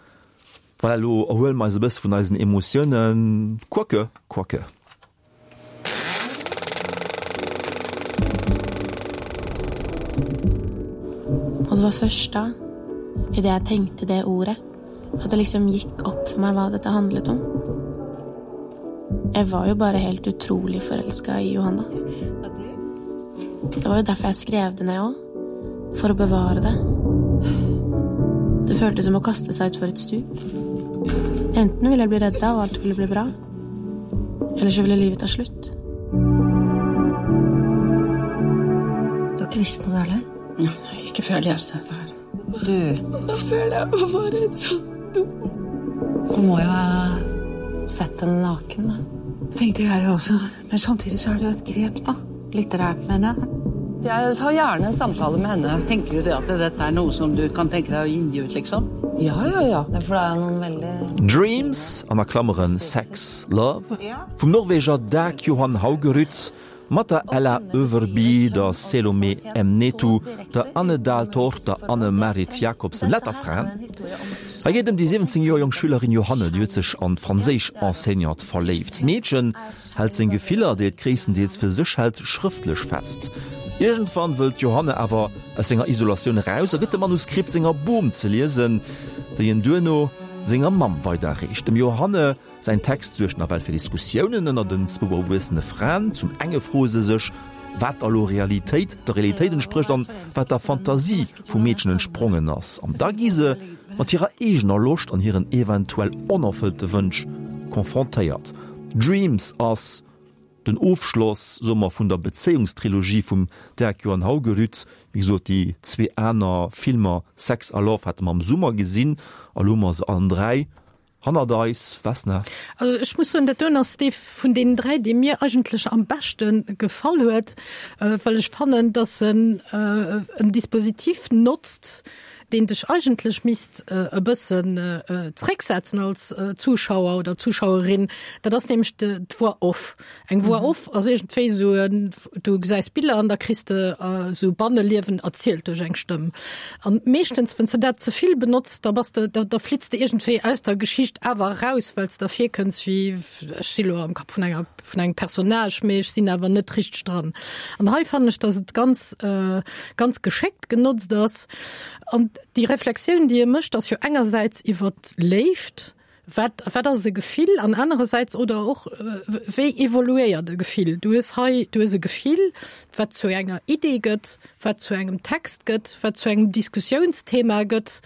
Voilà, elo erhuele mer eis e bësse vun eisen Emotiounen. Quoique, quoique. Og det var først da, idet jeg tenkte det ordet, at det liksom gikk opp for meg hva dette handlet om. Jeg var jo bare helt utrolig forelska i Johanna. Det var jo derfor jeg skrev det ned òg. For å bevare det. Det føltes som å kaste seg utfor et stup. Enten ville jeg bli redda, og alt ville bli bra. Eller så ville livet ta slutt. Du har ikke visst noe, du heller? Nei, ikke før jeg leste dette her. Du Nå føler jeg meg bare så dum. Du må jo ha sett henne naken, da. Tenkte jeg jo også. Men samtidig så er det jo et grep, da. Litterært, mener jeg. Jeg tar gjerne en samtale med henne. Tenker du det at dette er noe som du kan tenke deg å gi ut, liksom? Ja, ja, ja. Ja, for det er jo noen veldig Dreams, an a Klammeren Sex, Love, vum Norweger Dag Johan Haugerud mat der Ella Øverby, der Selome Emnetu, der Anne Dahl Torp, der Anne Marit Jacobsen, lauter Fraen. Hei geet ëm déi 17 Joer jonk Schülerin Johanne, déi huet sech an d'franséisch Enseignante verléift. D'Meedchen hält seng Gefiller, déi et gréisstendeels fir sech hält, schrëftlech fest. Iergendwann wëll d'Johanne awer aus senger Isolatioun eraus a gëtt de Manuskript senger Bom ze liesen, déi en duerno senger Mamm weiderreecht. Dem Johanne Säin Text suergt nawell fir Diskussiounen ënner den zwou erwuessene Fraen. Zum enge froe se sech, wat da lo Realitéit, der Realitéit entsprécht an wat der Fantasie vum Meedchen entsprongen ass. An da gi se mat hirer eegener Loscht an hiren eventuell onerfëllte Wënsch confrontéiert. Dreams ass den Ofschloss, soe mer, vun der Bezéiungstrilogie vum Dag Johan Haugerud. Wéi gesot, déi zwee aner Filmer Sex a Love hate mer am Summer gesinn a lo hu mer se allen 3 Hannert eis, Vesna. Also ech muss soen, dat doen ass dee vun deenen 3, dee mir eigentlech am beschte gefall huet, well ech fannen, dass en en Dispositif notzt, deen dech eigentlech misst e bëssen zrécksetzen als Zuschauer oder Zuschauerin. Dat ass nämlech d'Voix off. Eng Voix off ass iergendwéi esou en, du gesäis Biller an da kriss de esou Banneliewen erzielt duerch eng Stëmm. An meeschtens, wann s de dat ze vill benotz, da bass de, da, da flitts de iergendwéi aus der Geschicht awer eraus, well s der virkënns wéi, ech si lo am Kapp vun enger, vun engem Personnage, mee ech sinn awer net richteg dran. An hei fannen ech, dass et ganz, ganz geschéckt genotzt ass. An déi Reflexioun, déi e mécht, ass jo engersäits iwwer d'Léift, Wat, wat ass e Gefill an anerersäits oder och wéi evoluéiert e Gefill? Du hues hei, du hues e Gefill, wat zu enger Idee gëtt, wat zu engem Text gëtt, wat zu engem Diskussiounsthema gëtt,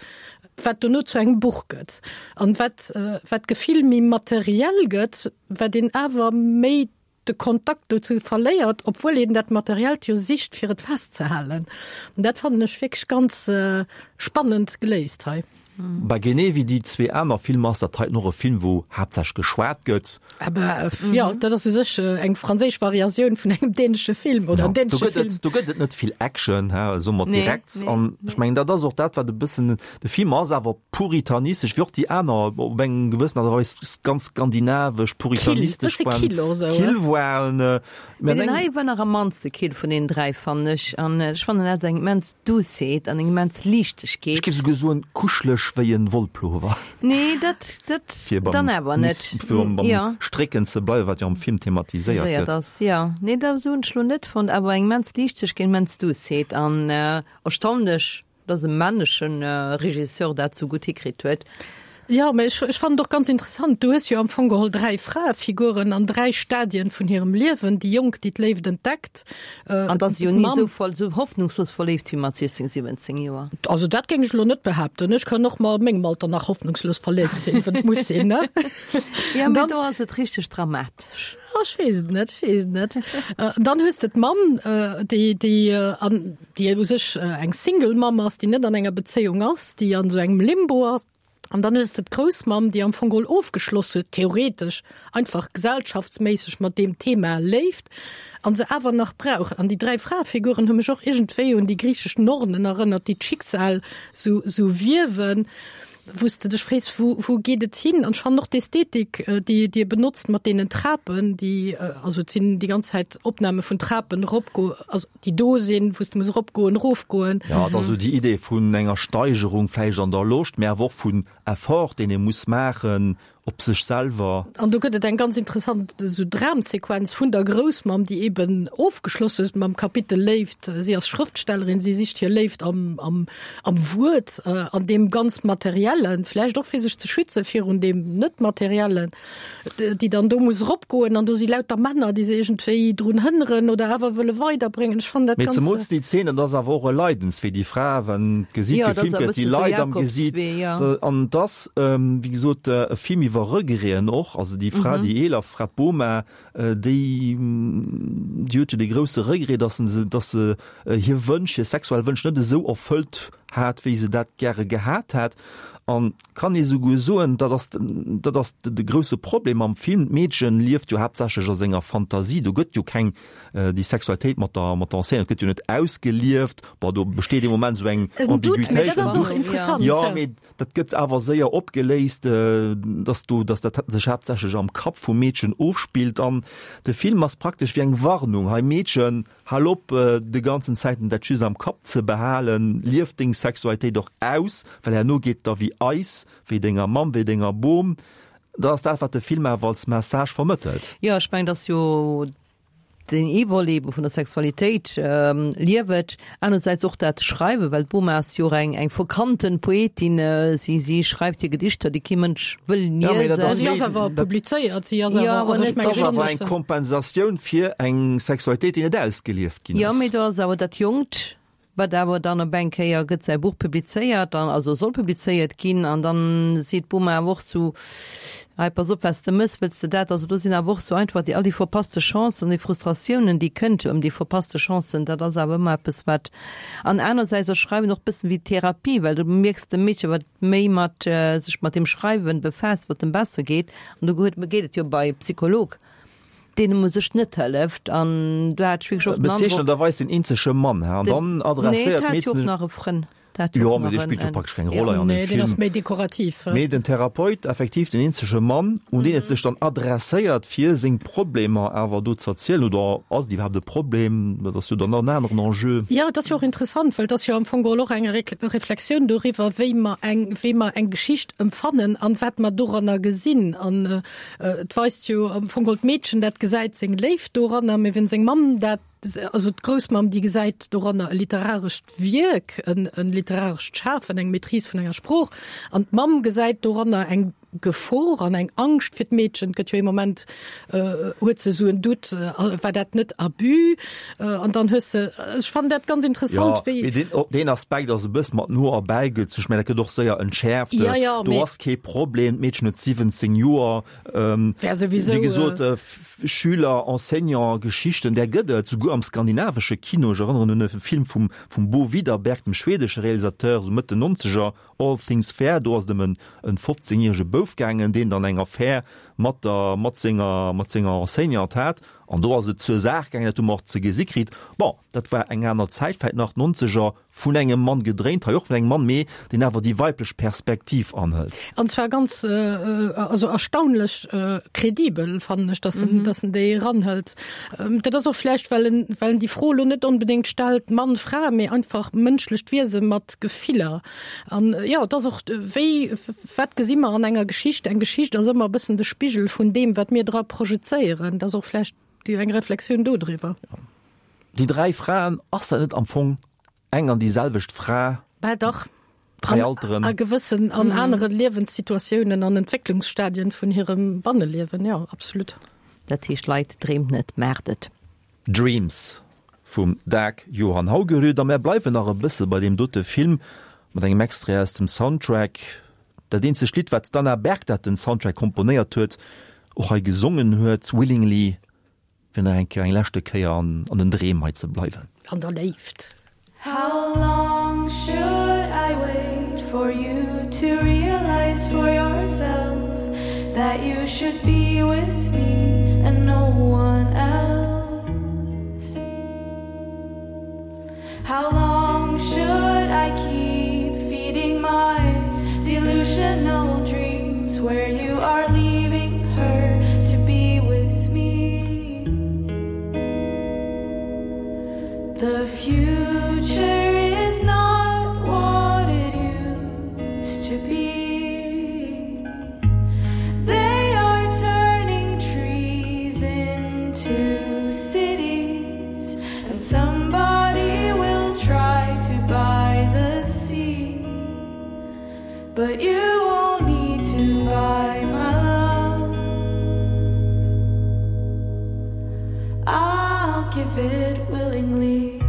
wat dono zu engem Buch gëtt. An wat, wat d'Gefill méi materiell gëtt, wat een awer méi de Kontakt dozou verléiert, obwuel een dat Materiellt jo sicht, fir et festzehalen. An dat fannen ech wierklech ganz spannend geléist hei. Bah, genee wéi déi zwee aner Filmer ass dat heiten och e Film, wou haaptsächlech geschwat gëtt. Aber jo, dat ass u sech eng franséisch Variatioun vun engem dänesche Film oder en dänesche Film. Do gëtt et net vill Action, he, soe mer direkt. An ech mengen, dat ass och dat, wat e bëssen De Film ass awer puritanistesch, wéi och déi aner op eng gewëssen Art a Weis ganz skandinavesch, puritanistesch waren. Kill, e bësse kill och esou, Kill waren. Mee deen hei war nach am mannste kill vun deenen 3, fannen ech. An ech fannen, en hat eng immens Douceheet an eng immens Liichtegkeet. Ech géif souguer soen, kuscheleg wéi en Wollpullover. Nee, dat, dat dann awer net. Fir beim Strécken ze bleiwen, wat jo am Film thematiséiert gëtt. Ass, jo. Nee, dat esou hunn ech lo net fonnt, awer eng immens Liichtegkeet, immens Douceheet an erstaunlech Dass e männechen Regisseur dat sou gutt hikritt huet. Jo, mä ech, ech fannen et och ganz interessant, du hues jo am Fong geholl 3 Fraefiguren an 3 Stadien vun hirem Liewen, déi Jonk, déi d'Léift entdeckt, An dass si jo ni sou voll, sou hoffnungslos verléift wéi mat 16, 17 Joer. Also dat géing ech elo net behaapten. Ech kann och mat mengem Alter nach hoffnungslos verléift sinn, wann et muss sinn, ne? Jo, mä do ass et richteg dramatesch. Oh, ech weess et net, ech weess et net. Dann hues de d'Mamm, déi, déi an, déi u sech eng Single Mamm ass, déi net an enger Bezéiung ass, déi an esou engem Limbo ass. An dann hues de d'Groussmamm, déi am Fong geholl ofgeschloss huet, theoretesch, einfach gesellschaftsméisseg mat deem Thema Léift, an se awer nach brauch. An déi 3 Fraefiguren hu mech och iergendwéi un déi griichesch Nornen erënnert, déi d'Schicksal sou, sou wiewen. wou s de dech frees, wou, wou geet et hin? An ech fannen och d'Ästhetik, déi Dir benotzt mat deenen Trapen, déi, also et sinn déi ganz Zäit Opname vun Trapen eropgo, also déi do sinn, wou s de muss eropgoen, erofgoen. Jo, et ass esou déi Idee vun enger Steigerung vläicht an der Loscht, mä awer och vun Effort, deen ee muss maachen, op sech selwer. An do gëtt et eng ganz interessant esou Dramsequenz vun der Groussmamm, déi eben ofgeschloss huet mam Kapitel Léift. Si ass Schrëftstellerin, si sicht hir Léift am, am, am Wuert, an deem ganz Materiellen, vläicht och fir sech ze schütze virun deem Net-Materiellen, déi dann do muss eropgoen an do si lauter Männer, déi se iergendwéi drun hënneren oder awer wëlle weiderbréngen. Ech fannen dat Mee ganz. zemools déi Zeen, dat ass awer och e Leidenswee, déi Fra, wann d'Gesiit gefilmt gëtt, déi leit am Gesiit. An et ass, wéi gesot, e Film iwwer. iwwer Regreten och. Also déi Fra, déi eeler Fra, d'Boma, déi, déi huet jo dee grousse Regret, dass se, dass se hir Wënsch, hir sexuell Wënsch net esou erfëllt hat, wéi se dat gäre gehat hätt. An kann ee souguer soen, dat ass, dat ass de grousse Problem am Film, d'Meedchen lieft jo haaptsächlech a senger Fantasie, do gëtt jo keng, déi Sexualitéit mat der, mat der Enseignante gëtt jo net ausgelieft. Bon, do besteet ee Moment esou eng Ambiguitéit. Mee dat ass och interessant. Jo, mee dat gëtt awer séier opgeléist, dass do, dass dat sech haaptsächlech am Kapp vum Meedchen ofspillt. An de Film ass praktesch wéi eng Warnung, Hei Meedchen, Hal op de ganzen Zäiten dat just am Kapp ze behalen, lief deng Sexualitéit och aus, well herno geet et der wéi eis, wéi denger Mamm, wéi denger Bom. Dat ass dat, wat de Film awer als Message vermëttelt. Jo, ech mengen, et ass jo deen ee Volet ebe vun der Sexualitéit, lief et, anerersäits och dat Schreiwen, well d'Boma ass jo och eng eng verkannten Poetin, si si schreift hir Gedichter, déi kee Mënsch wëll Ja, mee dat liesen. ass Si ass awer publizéiert, si ass awer, also ech Dat menge ass schonn, awer dass eng se. Kompensatioun fir eng Sexualitéit, déi net ausgelieft ginn Jo, ass. mee do ass awer dat Jonkt, wat awer dann op eng Kéier gëtt säi Buch publizéiert an also soll publizéiert ginn an dann seet d'Boma awer och sou, hei pass op wat s de mëss, wëlls de dat? Also do sinn awer och sou einfach déi all déi verpasste Chancen, déi Frustratiounen déi kënnt ëm déi verpasste Chancen, dat ass awer ëmmer eppes wat an anersäits ass Schreiwen och bëssen wéi Therapie, well du mierks dem Meedche wat méi mat sech mat dem Schreiwen befaasst, wat em besser geet an do huet geet et jo bei Psycholog. Deenen u sech net hëlleft an do hat ech wierklech och den Androck. Bezeechnenderweis den eenzege Mann, ha, an dann adresséiert Nee, dat hat jo och d'Meedchen. nach e Frënn. Dat hat jo Jo, och mee nach dee en, spillt jo en. praktesch keng Roll hei an Nee, deem deen ass Film. méi dekorativ. Mee den Therapeut, effektiv den eenzege Mann, un deen et sech dann adresséiert, fir seng Problemer awer do z'erzielen, oder ass et iwwerhaapt e Problem, dat ass jo dann nach en aneren Enjeu. Jo, et ass jo och interessant, well et ass jo am Fong geholl och eng Reflexioun doriwwer, wéi mer eng, wéi mer eng Geschicht empfannen an wat mer doranner gesinn. An Et weist jo am Fong geholl d'Meedchen, dat gesäit seng Léift doranner, mee wenn seng Mamm dat, also d'Groussmamm, déi gesäit doranner e literarescht Wierk, en literarescht Schafen, eng Maîtrise vun enger Sprooch, an d'Mamm gesäit doranner eng Gefor an eng Angscht fir d'Meedchen. Et gëtt jo ee Moment, huet se esou en Doute, war dat net Abus? An dann hues se, ech fannen dat ganz interessant, wéi. Jo, mee deen Aspekt ass e bësse mat no erbäigezu. Ech mengen, dat gëtt och séier entschäerft. Ja, ja, Do mee. ass kee Problem, d'Meedchen huet 17 Joer. Wär souwisou. Wéi gesot, Schüler, Enseignant, Geschichten, där gëtt et, souguer am skandinavesche Kino. Ech erënneren un e Film vum, vum Bo Widerberg, dem schwedesche Realisateur, sou Mëtt den Nonzeger, All Things Fair. Do ass et ëm en, en 15 järege Bouf gaangen, deen dann eng Affär mat der, mat senger, mat senger Enseignante hat. An do ass et zur Saach gaangen, dat hu mer och ze gesi kritt. Bon, dat war eng aner Zäit, vläicht nach d'Nonzeger, vun engem Mann gedréint, hei och vun engem Mann, mee deen awer déi weiblech Perspektiv anhëlt. An zwar ganz, also erstaunlech kredibel, fannen ech, dass en, dass en déi eranhëlt. Dat ass och vläicht, well en, well en déi Fro elo net onbedéngt stellt, Mann, Fra, mee einfach mënschlecht Wiese mat Gefiller. An jo, et ass och, wéi, wat gesi mer an enger Geschicht? Eng Geschicht ass ëmmer e bëssen de Spigel vun deem, wat mir dra projezéieren. Dat ass och vläicht déi eng Reflexioun dodriwwer. Déi 3 Fraen, ass dat net am Fong eng an déi selwecht Fra? Bah dach. 3 Alteren. A gewëssen, an anere Liewenssituatiounen an Entwécklungsstadien vun hirem Banneliewen, jo, absolut. Dat heescht, Leit, dreemt net, maacht et! Dreams vum Dag Johan Haugerud. A mär bleiwen nach e bësse bei deem dote Film mat engem Extrait aus dem Soundtrack. Dat eenzegt Lidd, wat d'Anna Berg, dat den Soundtrack komponéiert huet, och hei gesongen huet, Willingly, fir nach eng Kéier, eng leschte Kéier an den Dreem hei ze bleiwen. An der Léift. How long should I wait for you to realize for yourself that you should be with me and no one else? How long should I keep feeding my delusional dreams where you are leaving her to be with me? The future is not what it used to be. They are turning trees into cities, and somebody will try to buy the sea. But you won't need to buy my love. I'll give it willingly.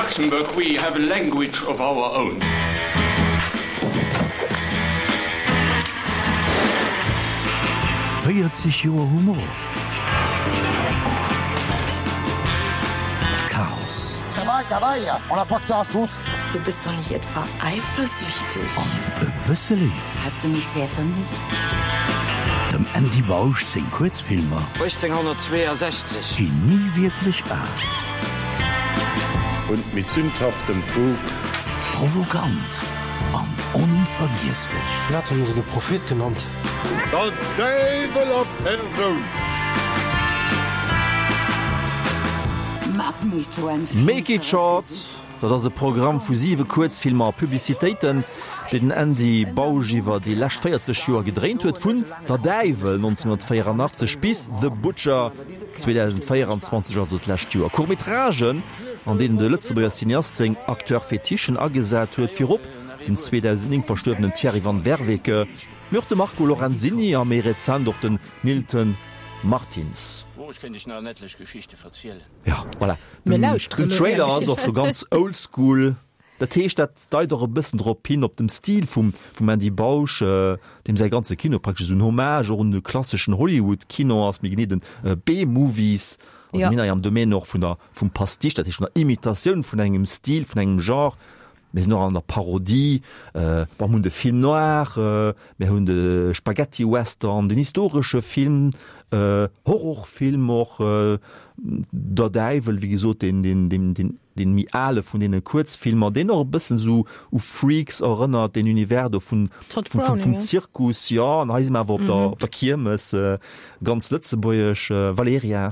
Luxembourg we have a language of our own. 40 Joer Humor, Chaos. Du bist doch nicht etwa eifersüchtig? An e bësse Léift. Hast du mich sehr vermisst? Dem Andy Bausch seng Kuerzfilmer. 1862. Ginn ni wierklech al. Und mit sündhaftem Trug. Provokant an onvergiesslech. Wat hunn se de Prophet genannt? Der Däiwel a Persoun! Make it short, dat ass e Programm vu siwe Kuerzfilmer a Publicitéiten, déi den Andy Bausch iwwer déi lescht 40 Joer gedréint huet, vun Der Däiwel 1984 bis The Butcher 2024, also d'lescht Joer. Court-métragen, an deenen de Lëtzebuerger Cineast seng Acteur-Fetichen agesat huet, virop den 2009 verstuerwenen Thierry van Werveke, mee och de Marco Lorenzini a méi rezent och den Nilton Martins. Oh, ech kéint iech nach en etlech Geschichte verzielen. Ja, voilà. Mir Den, lauschteren den elo Trailer gär ass och scho Geschichten. ganz oldschool. Dat heescht, dat deit och e bëssen drop hin, op dem Stil vum, vum Andy Bausch, deem säi ganze Kino praktesch esou en Hommage och un de klasseschen Hollywood-Kino ass, méi genee den B-Movies. Also Ja. mir hei am Domaine och vun der, vum Pastiche, dat heescht vun der Imitatioun vun engem Stil, vun engem Genre. Mir sinn och an der Parodie, bon, mir hunn de Film noir, mir hunn de Spaghetti-Western, den historesche Film, Horrorfilm och, Der Däiwel, wéi gesot, deen, deen, deen, deen, deen méi ale vun deene Kuerzfilmer, deen och e bëssen esou u Freaks erënnert, deen Univers do vun, Tod vum, vum, Browning, vum ja. Zirkus, jo, an hei si mer awer op der, op der Kiermes, ganz lëtzebuergesch. Valerija?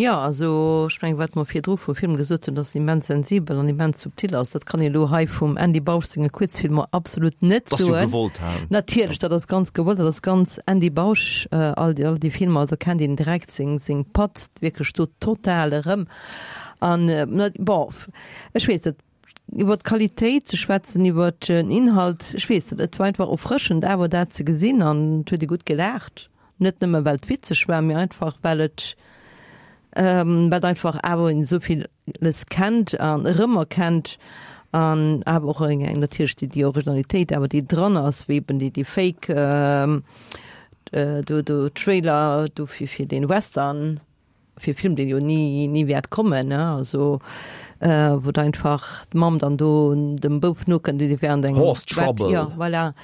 Jo, also ech mengen, wat mer virdru vum Film gesot hunn, dass en immens sensibel an immens subtil ass, dat kann een elo hei vum Andy Bausch senge Kuerzfilmer absolut net Dat ass jo soen. gewollt, hä? Natierlech, dat ass ganz gewollt, dat ass ganz Andy Bausch, all déi, all déi Filmer, do kennt een direkt seng, seng Patt wierklech do total erëm. An, bon, ech weess net, iwwer d'Qualitéit ze schwätzen, iwwer den Inhalt, ech weess net, et war einfach erfrëschend awer dat ze gesinn an et huet ee gutt gelaacht. Net nëmme well et witzeg war, mee einfach well et well et einfach awer een esou villes kennt an erëmerkennt an awer och eng eng natierlech déi déi Originalitéit awer déi dran ass, wéi eben déi déi Fake do do Trailer do fir fir dee Western. Fir e Film, deen jo ni, ni wäert kommen, ne, also wou da einfach d'Mamm dann do dem Bouf nokënnt, dee während engem Horse Bett, Trouble. jo, voilà,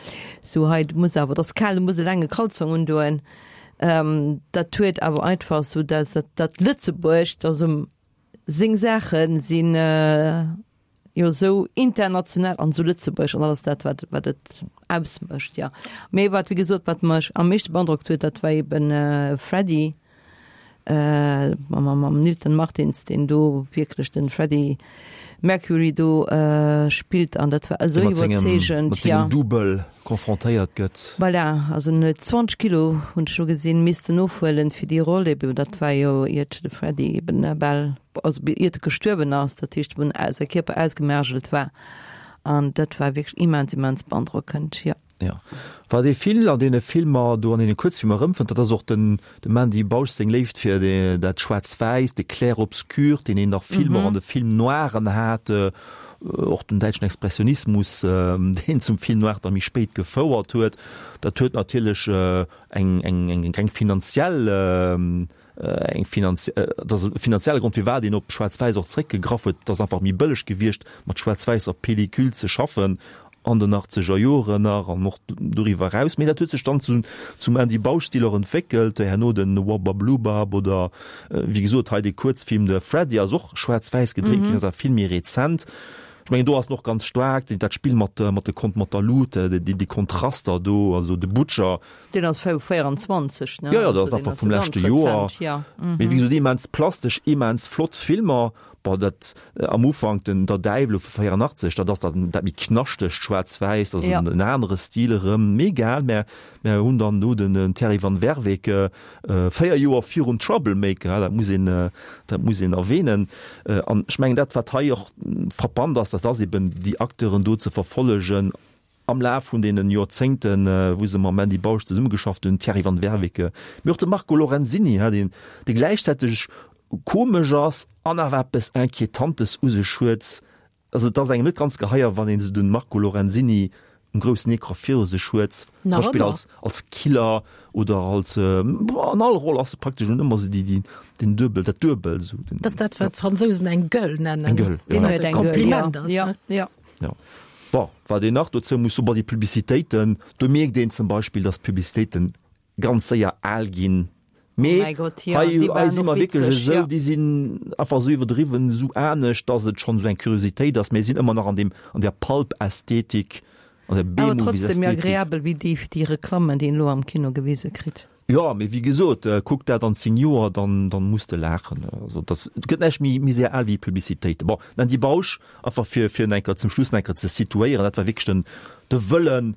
sou hei, du muss awer, et ass kal, du muss e laange Kalzong undoen. Dat huet awer einfach sou dat, dat, dat Lëtzebuerg, dass um seng Saache sinn, jo esou international an esou Lëtzebuerg an alles dat wat wat et ausmécht ja. Mee wat wéi gesot wat mech am meeschte beandrockt huet, dat war eben äh, Freddie äh, mam, mam Nilton Martins, deen do wierklech den Freddie Mercury do äh, spillt an dat war esou iwwerzeegend. Mat sengem Double confrontéiert gëtt. Voilà, also en huet 20 Kilo hunn ech lo gesinn missten ofhuelen fir déi Roll eben, dat war jo iert de Freddie eben bal also iert e gestuerwen ass, dat heescht wou säi Kierper ausgemergelt war an dat war wierklech immens immens beandrockend, jo. Jo, wat ee vill an deene Filmer do, an deene Kuerzfilmer erëmfënnt, dat ass och den dem Andy Bausch seng Léift fir dat Schwaarz-Wäiss, de Clair-obscur, deen een nach vill och an de Film noiren hat, och den däitschen Expressionismus, deen zum Film noir da méi spéit gefouert huet. Dat huet natierlech eng eng eng finanziell eng finanz dat ass e finanzielle Grond, firwat een op Schwaarz-Wäiss och zréckgegraff huet. Et ass einfach méi bëlleg gewiescht, mat schwaarz-wäisser Pellicule ze schaffen an den achtzeger Joren nach an och doriwwer eraus. Mee dat huet sech dann zu, zum Andy Bausch-Stil och entwéckelt, herno den Wabba-Blubab oder wéi gesot hei dee Kuerzfilm The Freddy ass och schwaarz-wäiss gedréint ginn, ass awer vill méi rezent. Ech mengen do ass en och ganz staark, dat Spill mat, mat de Kont, mat der Lut, déi Kontraster do, also de Butcher. Deen ass vu 24, ne? Jo, jo, dat ass einfach vum leschte Joer. Mee wéi gesot, immens plastesch, immens flott Filmer. Bon, dat am Ufank, den Der Däiwel vu 84, dat ass dat dat méi knaschtegt Schwaarz-Wäiss, dat ass en anere Stil erëm. Mee egal, mär mär hunn dann do den Thierry van Werveke, 4 Joer virum Troublemaker, dat muss een dat muss een erwähnen. An ech mengen, dat wat hei och frappant ass, dat ass eben déi Acteuren do ze verfollegen, Am Laf vun deenen Joerzéngten, wou se mam Andy Bausch zesummegeschafft hunn, Thierry van Werveke, mee och de Marco Lorenzini, deen, dee gläichzäiteg. komesch ass an awer eppes Inquietantes u sech huet. Also et ass engem net ganz geheier, wann een esou den Marco Lorenzini um groussen Ecran viru sech huet, zum Nach Beispill ëmmer. als, als Killer oder als, an all Roll ass e praktesch un ëmmer esou déi, déi, den Duebel, dat Duebel esou. Den, Dat ass dat, wat d'Fransousen eng Gueule nennen. Eng Gueule, ja. Wat e Eng Gueule, Kompliment ass, ja. ne? Ja. Ja. Bon, wat een nach dozou muss soen, bon, déi Publicitéiten, do mierkt een zum Beispill, dass d'Publicitéiten ganz séier al ginn. Mee Oh mäi Gott, ja, hei, déi hei waren si och mer wierklech witzeg, esou, ja. déi sinn einfach esou iwwerdriwwen, esou anescht, dass et schonn esou eng Kuriositéit ass. Mee sinn ëmmer nach an deem, an där Pulp-Ästhetik, an der Awer trotzdem méi B-Movies-Ästhetik. agreabel wéi déi, déi Reklammen, déi een elo am Kino gewise kritt. Jo, mee wéi gesot, kuck dat an 10 Joer, dann, dann muss de laachen. Also dat, et gëtt näischt méi, méi séier al wéi Publicitéiten. Bon, den Andy Bausch, einfach fir, fir en eng Kéier zum Schluss nach eng Kéier ze situéieren, dat war wierklech den, de Wëllen,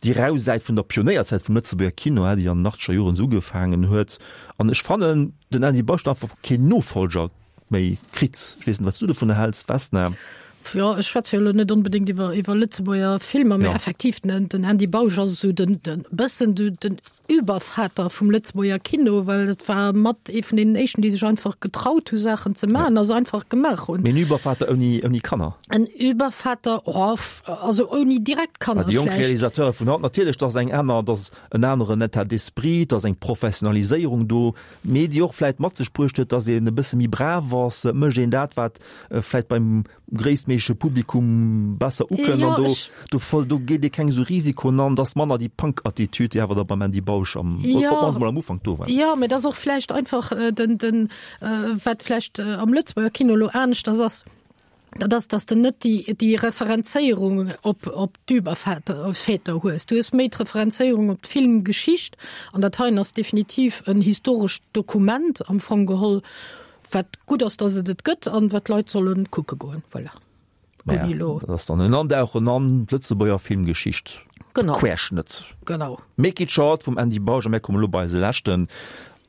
déi rau Säit vun der Pionéierzäit vum Lëtzebuerger Kino, déi an den achtzeger Joren esou ugefaangen huet. An ech fannen, den Andy Bausch huet einfach keen Nofolger méi kritt. Ech weess net, wat s du dovunner häls, Vesna. Jo, ech schwätze jo elo net onbedéngt iwwer, iwwer Lëtzebuerger Filmer, mä Jo. effektiv, den, den Andy Bausch ass esou den, den bëssen de, den Übervater vum Lëtzebuerger Kino, well et war mat ee vun deenen éischten, déi sech einfach getraut hu Saachen ze maachen a se einfach gemaach hunn. Mee en Übervater ouni, ouni Kanner? En Übervater, oh, also ouni direkt Kanner Déi jonk vläicht. Realisateure vun haut, natierlech, dat ass eng aner, dat ass en aneren État d'esprit, dat ass eng Professionaliséierung do, mee déi och vläicht mat sech bruecht huet, datt een e bësse méi brav ass, et mécht een dat, wat vläicht beim gréisstméigleche Publikum besser ukënnt Jo, an do, ech. do, do geet ee keng esou Risikoen an, dass manner déi Punk-Attitüd, déi awer da beim Andy Bausch am, op Jo. d'mannst mol am Ufank do war. Jo, mä et ass och vläicht einfach den, den, wat vläicht am Lëtzebuerger Kino elo aneschters ass, dat ass, dass de net déi, déi Referenzéierung op, op d'Überväter, Väter hues. Du hues méi d'Referenzéierung op d'Filmgeschicht an dat heien ass definitiv en historescht Dokument am Fong geholl, Wat gutt ass, dass et et gëtt an wat d'Leit sollen kucke goen. Voilà. Naja, Ouni elo. dat ass dann en Andauchen an d'Lëtzebuerger Filmgeschicht. Genau. Querschnëtt. Genau. Make it short vum Andy Bausch a mär kommen elo bei eise leschten.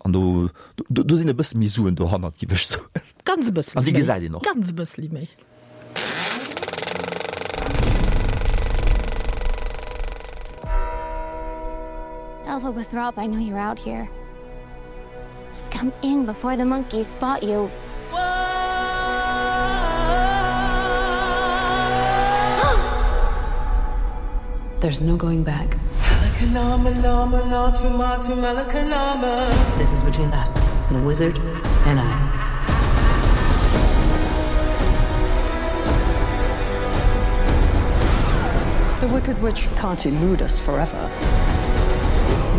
An do, do, do sinn e bësse méi Suen dohannert, giff ech soen. Ganz e bësseli An déi méi. gesäit een och. Ganz e bësseli méi. Elva Throp, I know you're out here. Just come in before the monkeys spot you. There's no going back. This is between us, the wizard and I. The Wicked Witch can't elude us forever.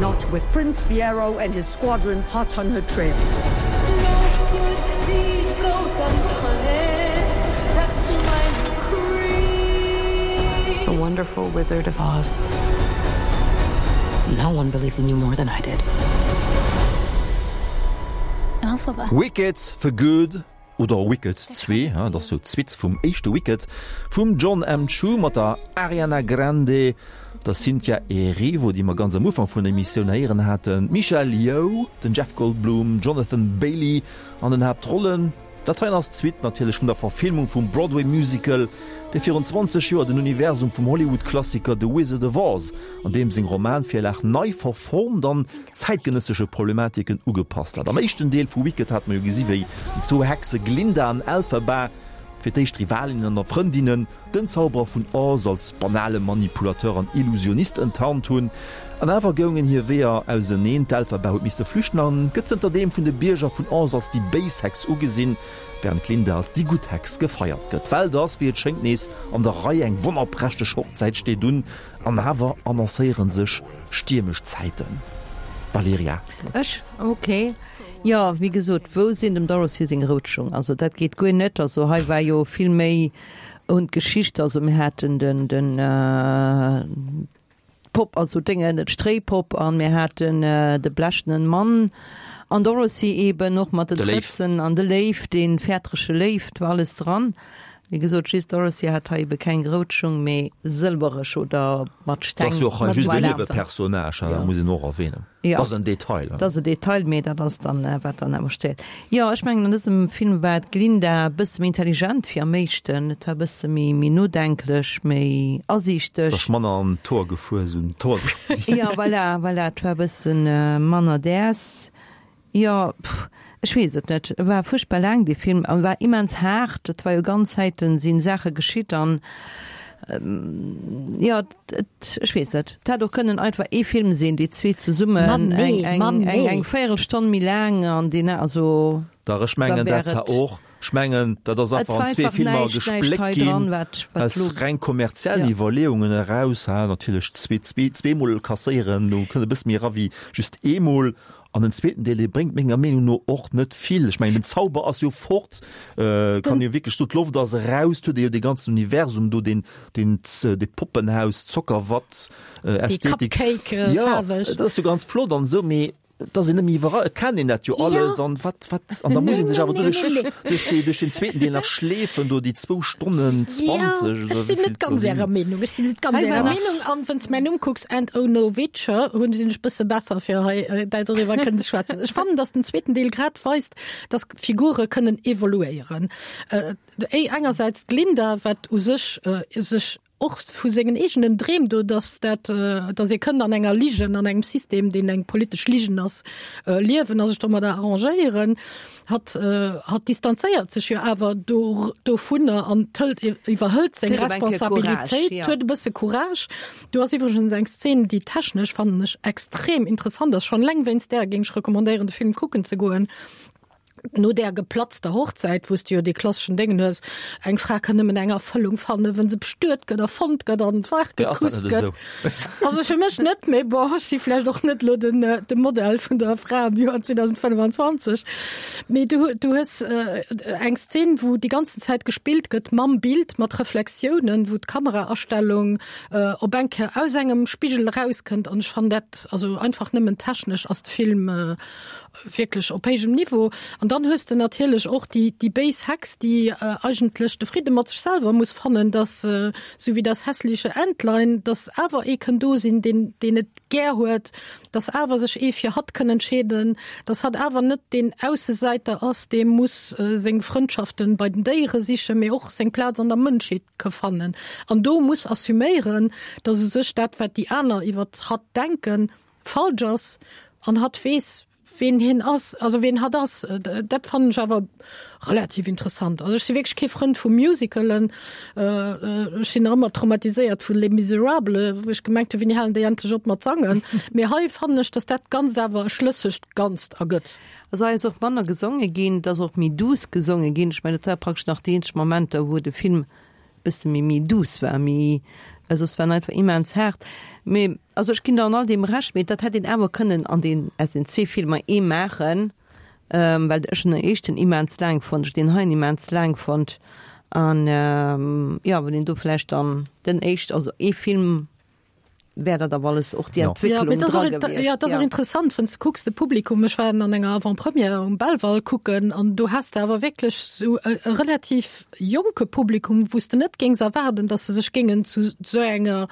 Not with Prince Fiero and his squadron hot on her trail. No good deed goes unpunished. That's my creed. The wonderful Wizard of Oz. No one believed in you more than I did. Wicked for Good oder Wicked 2, dat ass jo d'Suite vum éischte Wicked vum Jon M. Chu mat der Ariana Grande, der Cynthia Erivo, déi mer ganz am Ufank vun der Emissioun héieren haten, d'Michelle Yeoh, den Jeff Goldblum, Jonathan Bailey an den Haaptrollen. Dat heien ass d'Suite natierlech vun der Verfilmung vum Broadway-Musical, dee virun 20 Joer den Universum vum Hollywood-Klassiker The Wizard of Oz an deem seng Romanvirlag nei verformt an zäitgenëssesche Problematiken ugepasst hat. Am éischten Deel vu Wicked hate mer jo gesi wéi déi zwou Hexe Glinda an Elphaba, fir d'éischt Rivalinnen an da Frëndinnen, den Zauberer vun Oz als banale Manipulateur an Illusionist enttarnt hunn. An awer goungen hir Weeër auseneen, d'Elphaba huet misse flüchten an gëtt zënterdeem vun de Bierger vun Oz als déi béis Hex ugesinn, wärend d'Glinda als déi gutt Hex gefeiert gëtt. D'Welt ass, wéi et schéngt, nees an der Rei, eng wonnerprächteg Hochzäit steet un, an awer annoncéiere sech stiermesch Zäiten. Valerija. Ech? Ok. Jo, wéi gesot, wou sinn dem Dorothy seng rout Schung? Also dat geet guer net. Also hei war jo vill méi un d'Geschicht. Also mir haten den, den d'Popp, also Déngen, d'Stréipopp an mir haten de blechenen Mann an Dorothy eben och mat den De Léiw. Trëtzen an de Léiw, dee fäerterege Léiw, 't war alles dran. Wéi gesot, just Dorothy hat hei ebe keng rout Schung, mee sëlwereg oder mat Dat Steng. ass jo och hei just en Voilà. Niewepersonnage, dat muss een och erwähnen. Jo. Dat ass en Detail. Dat ass e Detail, mee dat ass dann, wat dann awer stéiert. Jo, ech mengen, an dësem Film war d'Glinda e bësse méi intelligent wéi am éischten. Et war e bësse méi, méi nodenklech, méi asiichteg. Et ass manner an d'Hoer gefuer, esou en Tor. Jo, voilà, voilà, et war e bësse manner däers. Jo, pff, Ech weess et net. E war fuerchtbar laang, dee Film, a war immens haart. Et war jo ganz Zäiten si Saache geschitt an, jo, et, ech weess net. Et hätt och kënnen einfach ee Film sinn, déi zwee zesummen, eng, eng, eng, eng Véierelstonn méi laang an deen, also. Dach, ech mengen dat zwar och. Ech mengen, dat ass einfach an zwee Filmer gespléckt ginn, aus reng kommerziellen Iwwerleeungen eraus. Natierlech zweemol kasséieren, do kënnt e bësse méi era wéi just eemol. An den zweeten Deel, dee bréngt menger Meenung no och net vill. Ech mengen, den Zauber ass jo fort, kann jo wierklech soen, d'Loft ass eraus, et huet ee jo dee ganzen Universum do, deen, deen, dee Poppenhaus, Zockerwatt, Ästhetik. Déi Cupcake faarweg. Jo, dat ass jo ganz flott an esou, mee et ass een net méi iwwerall, et kennt een dat jo alles an wat, wat, an da muss ee sech awer do duerch, duerch dee, duerch den zweeten Deel nach schleefen, do déi zwou Stonnen 20 oder wéi Ech sinn vill net et do ganz sinn. Ärer Meenung, ech sinn net ganz Ärer Meenung an wann s de mäin Numm kucks, And Oh No Witcher, hunn sinn ech bësse besser fir hei dei doriwwer kënnen ze schwätzen. Ech fannen, datt den zweeten Deel grad weist, datt Figure kënnen evoluéieren. Engersäits d'Glinda, wat u sech sech och vu sengen eegenen Dreem do, dass dat, dass ee kënnt an enger Ligen, an engem System, deen eng politesch Ligen ass, liewen a sech domadder arrangéieren. Hatt, hatt distanzéiert sech jo awer do, dovunner an hëlt, iwwerhëlt seng Responsabilitéit, huet e bësse Courage. Do ass iwwregens eng Szen, déi technesch, fannen ech, extrem interessant ass. Schonn eleng wéinst där géing ech recommandéieren, de Film kucken ze goen. No där geplatzter Hochzäit, wou s de jo dee klasseschen Déngen hues, eng Fra kann nëmmen eng Erfëllung fannen, wa se bestuet gëtt, erfonnt gëtt an wach gekusst gëtt. Also fir mech net, mee bon, ech si vläicht och net elo den, de Modell vun der Fra am Joer 2025. Mee du, du hues eng Szen, wou déi ganzen Zäit gespillt gëtt mam Bild, mat Reflexiounen, wou d'Kameraastellung op eng Kéier aus engem Spigel erauskënnt an ech fannen dat, also einfach nëmmen technesch ass de Film wierklech op héijem Niveau. An dann hues de natierlech och déi, déi béis Hex, déi eigentlech de Fridde mat sech selwer muss fannen, dass, sou wéi das hässliche Entlein, dass awer ee kënn do sinn, deen, deen et gär huet, dass awer sech ee fir hatt kënn entscheeden, dass hatt awer net deen Aussesäiter ass, dee muss seng Frëndschaften bei den Déiere sichen, mee och seng Plaz an der Mënschheet ka fannen. An do muss assuméieren, dass u sech dat, wat déi aner iwwert hatt denken, falsch ass an hatt weess, ween hien ass, also ween hatt ass. Dat fannen ech awer relativ interessant. Also ech si wierklech kee Frënd vu Musicalen. Ech sinn nach ëmmer traumatiséiert vu Les Misérables, wou ech gemengt hunn, wéini halen déi endlech op mat sangen. Mee hei fannen ech, datt dat Ganzt awer e schlëssegt Ganzt ergëtt. Also hei ass och manner gesonge ginn, et ass och méi duuss gesonge ginn. Ech mengen, dat war praktesch nach déi eenzeg Momenter, wou de Film bësse méi méi douce war, méi, well soss war en einfach immens haart. Mee also ech ginn der an all deem Recht, mee dat hätt een awer kënnen an deen, aus den zwee Filmer ee maachen, well ech hunn den éischten immens laang fonnt, ech hunn deen heien immens laang fonnt an jo, wann een do vläicht dann den éischt, also ee Film wär dat awer alles och déi Entwécklung dra gewiescht. Ja, dat ass och interessant, wann s de kucks, de Publikum, ech war an enger Avant-première um Belval kucken an do has de awer wierklech esou e relativ jonke Publikum, wou s de net géings erwaarden, datt se sech géingen zu esou enger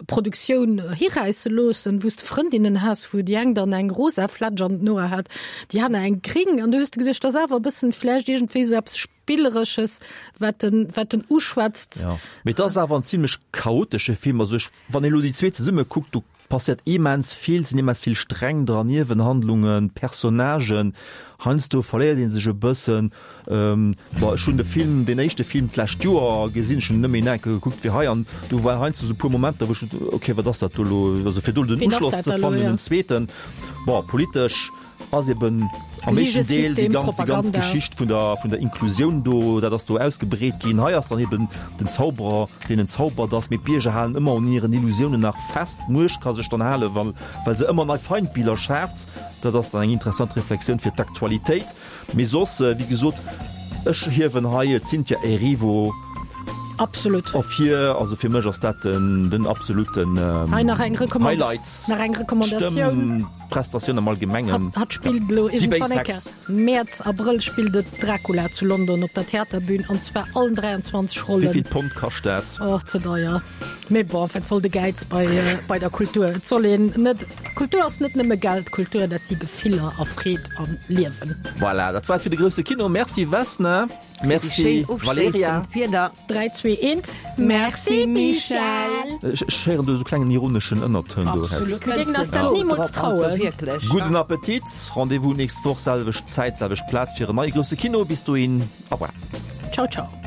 Produktioun hiräisse loossen, wou s de Frëndinnen has, wou déi eng dann eng rosa Flätsch an den Hoer hat, déi aner eng gring an du hues de geduecht, dat ass awer e bëssen vläicht iergendwéi esou eppes Spilleresches, wat en, wat en uschwätzt. Ja, mee et ass awer en zimlech chaotesche Film. Also ech, wann ee lo déi zwee zesumme kuckt, do passiert immens vill, sinn immens vill Sträng dran, Niewenhandlungen, Personnagen. Heiansdo verléiert ee sech e bëssen. Bon, ech hunn de Film, deen éischte Film d'lescht Joer gesinn, ech hunn en nëmme een enke gekuckt wéi hei, an do waren heiansdo esou e puer Momenter, wou ech, okay, wat ass dat do elo? Also fir do den Uschloss ze fannen, den zweeten, bon, politesch ass eben am éischten Deel déi ganz, déi ganz Geschicht vun der, vun der Inklusioun do, dat ass do ausgebreet ginn. Hei ass dann eben den Zauberer, deen en zaubert ass, mee d'Bierger halen ëmmer un hiren Illusiounen nach fest. D'Muecht ka sech dann halen, well, well se ëmmer nei Feindbiller schaaft. Dat ass dann eng interessant Reflexioun fir d'Aktualitéit. Mee soss, wéi gesot, ech hiewen hei d'Cynthia Erivo Absolut. ervir. Also fir mech ass dat den, den absoluten Hei nach eng Recommand Highlight. nach eng Recommandatioun. D'Stëmm. Prestatioun am Allgemengen. Hatt spillt elo iergendwann eng Kéier. Mäerz, Abrëll spillt et Dracula zu London op der Theaterbün an zwar allen 23 Rollen. Wéivill Pond kascht dat? Och ze deier. Mee bon, wat soll de Gäiz bei, bei der Kultur? Et soll een net, Kultur ass net nëmme Geld, Kultur dat si Gefiller a Freed am Liewen. Voilà, dat war et fir de grousse Kino. Merci Vesna. Merci Valerija. 3, 2, 1, Merci Michèle! Ech héieren do esou klengen ironeschen Ënnertoun do eraus. Absolut, mir géingen eis dat nimools trauen. Gudden Appetit, Rendez-vous nächst Woch, selwecht Zäit, selwecht Plaz fir en neie grousse Kino. Bis dohin, au revoir. Ciao, ciao.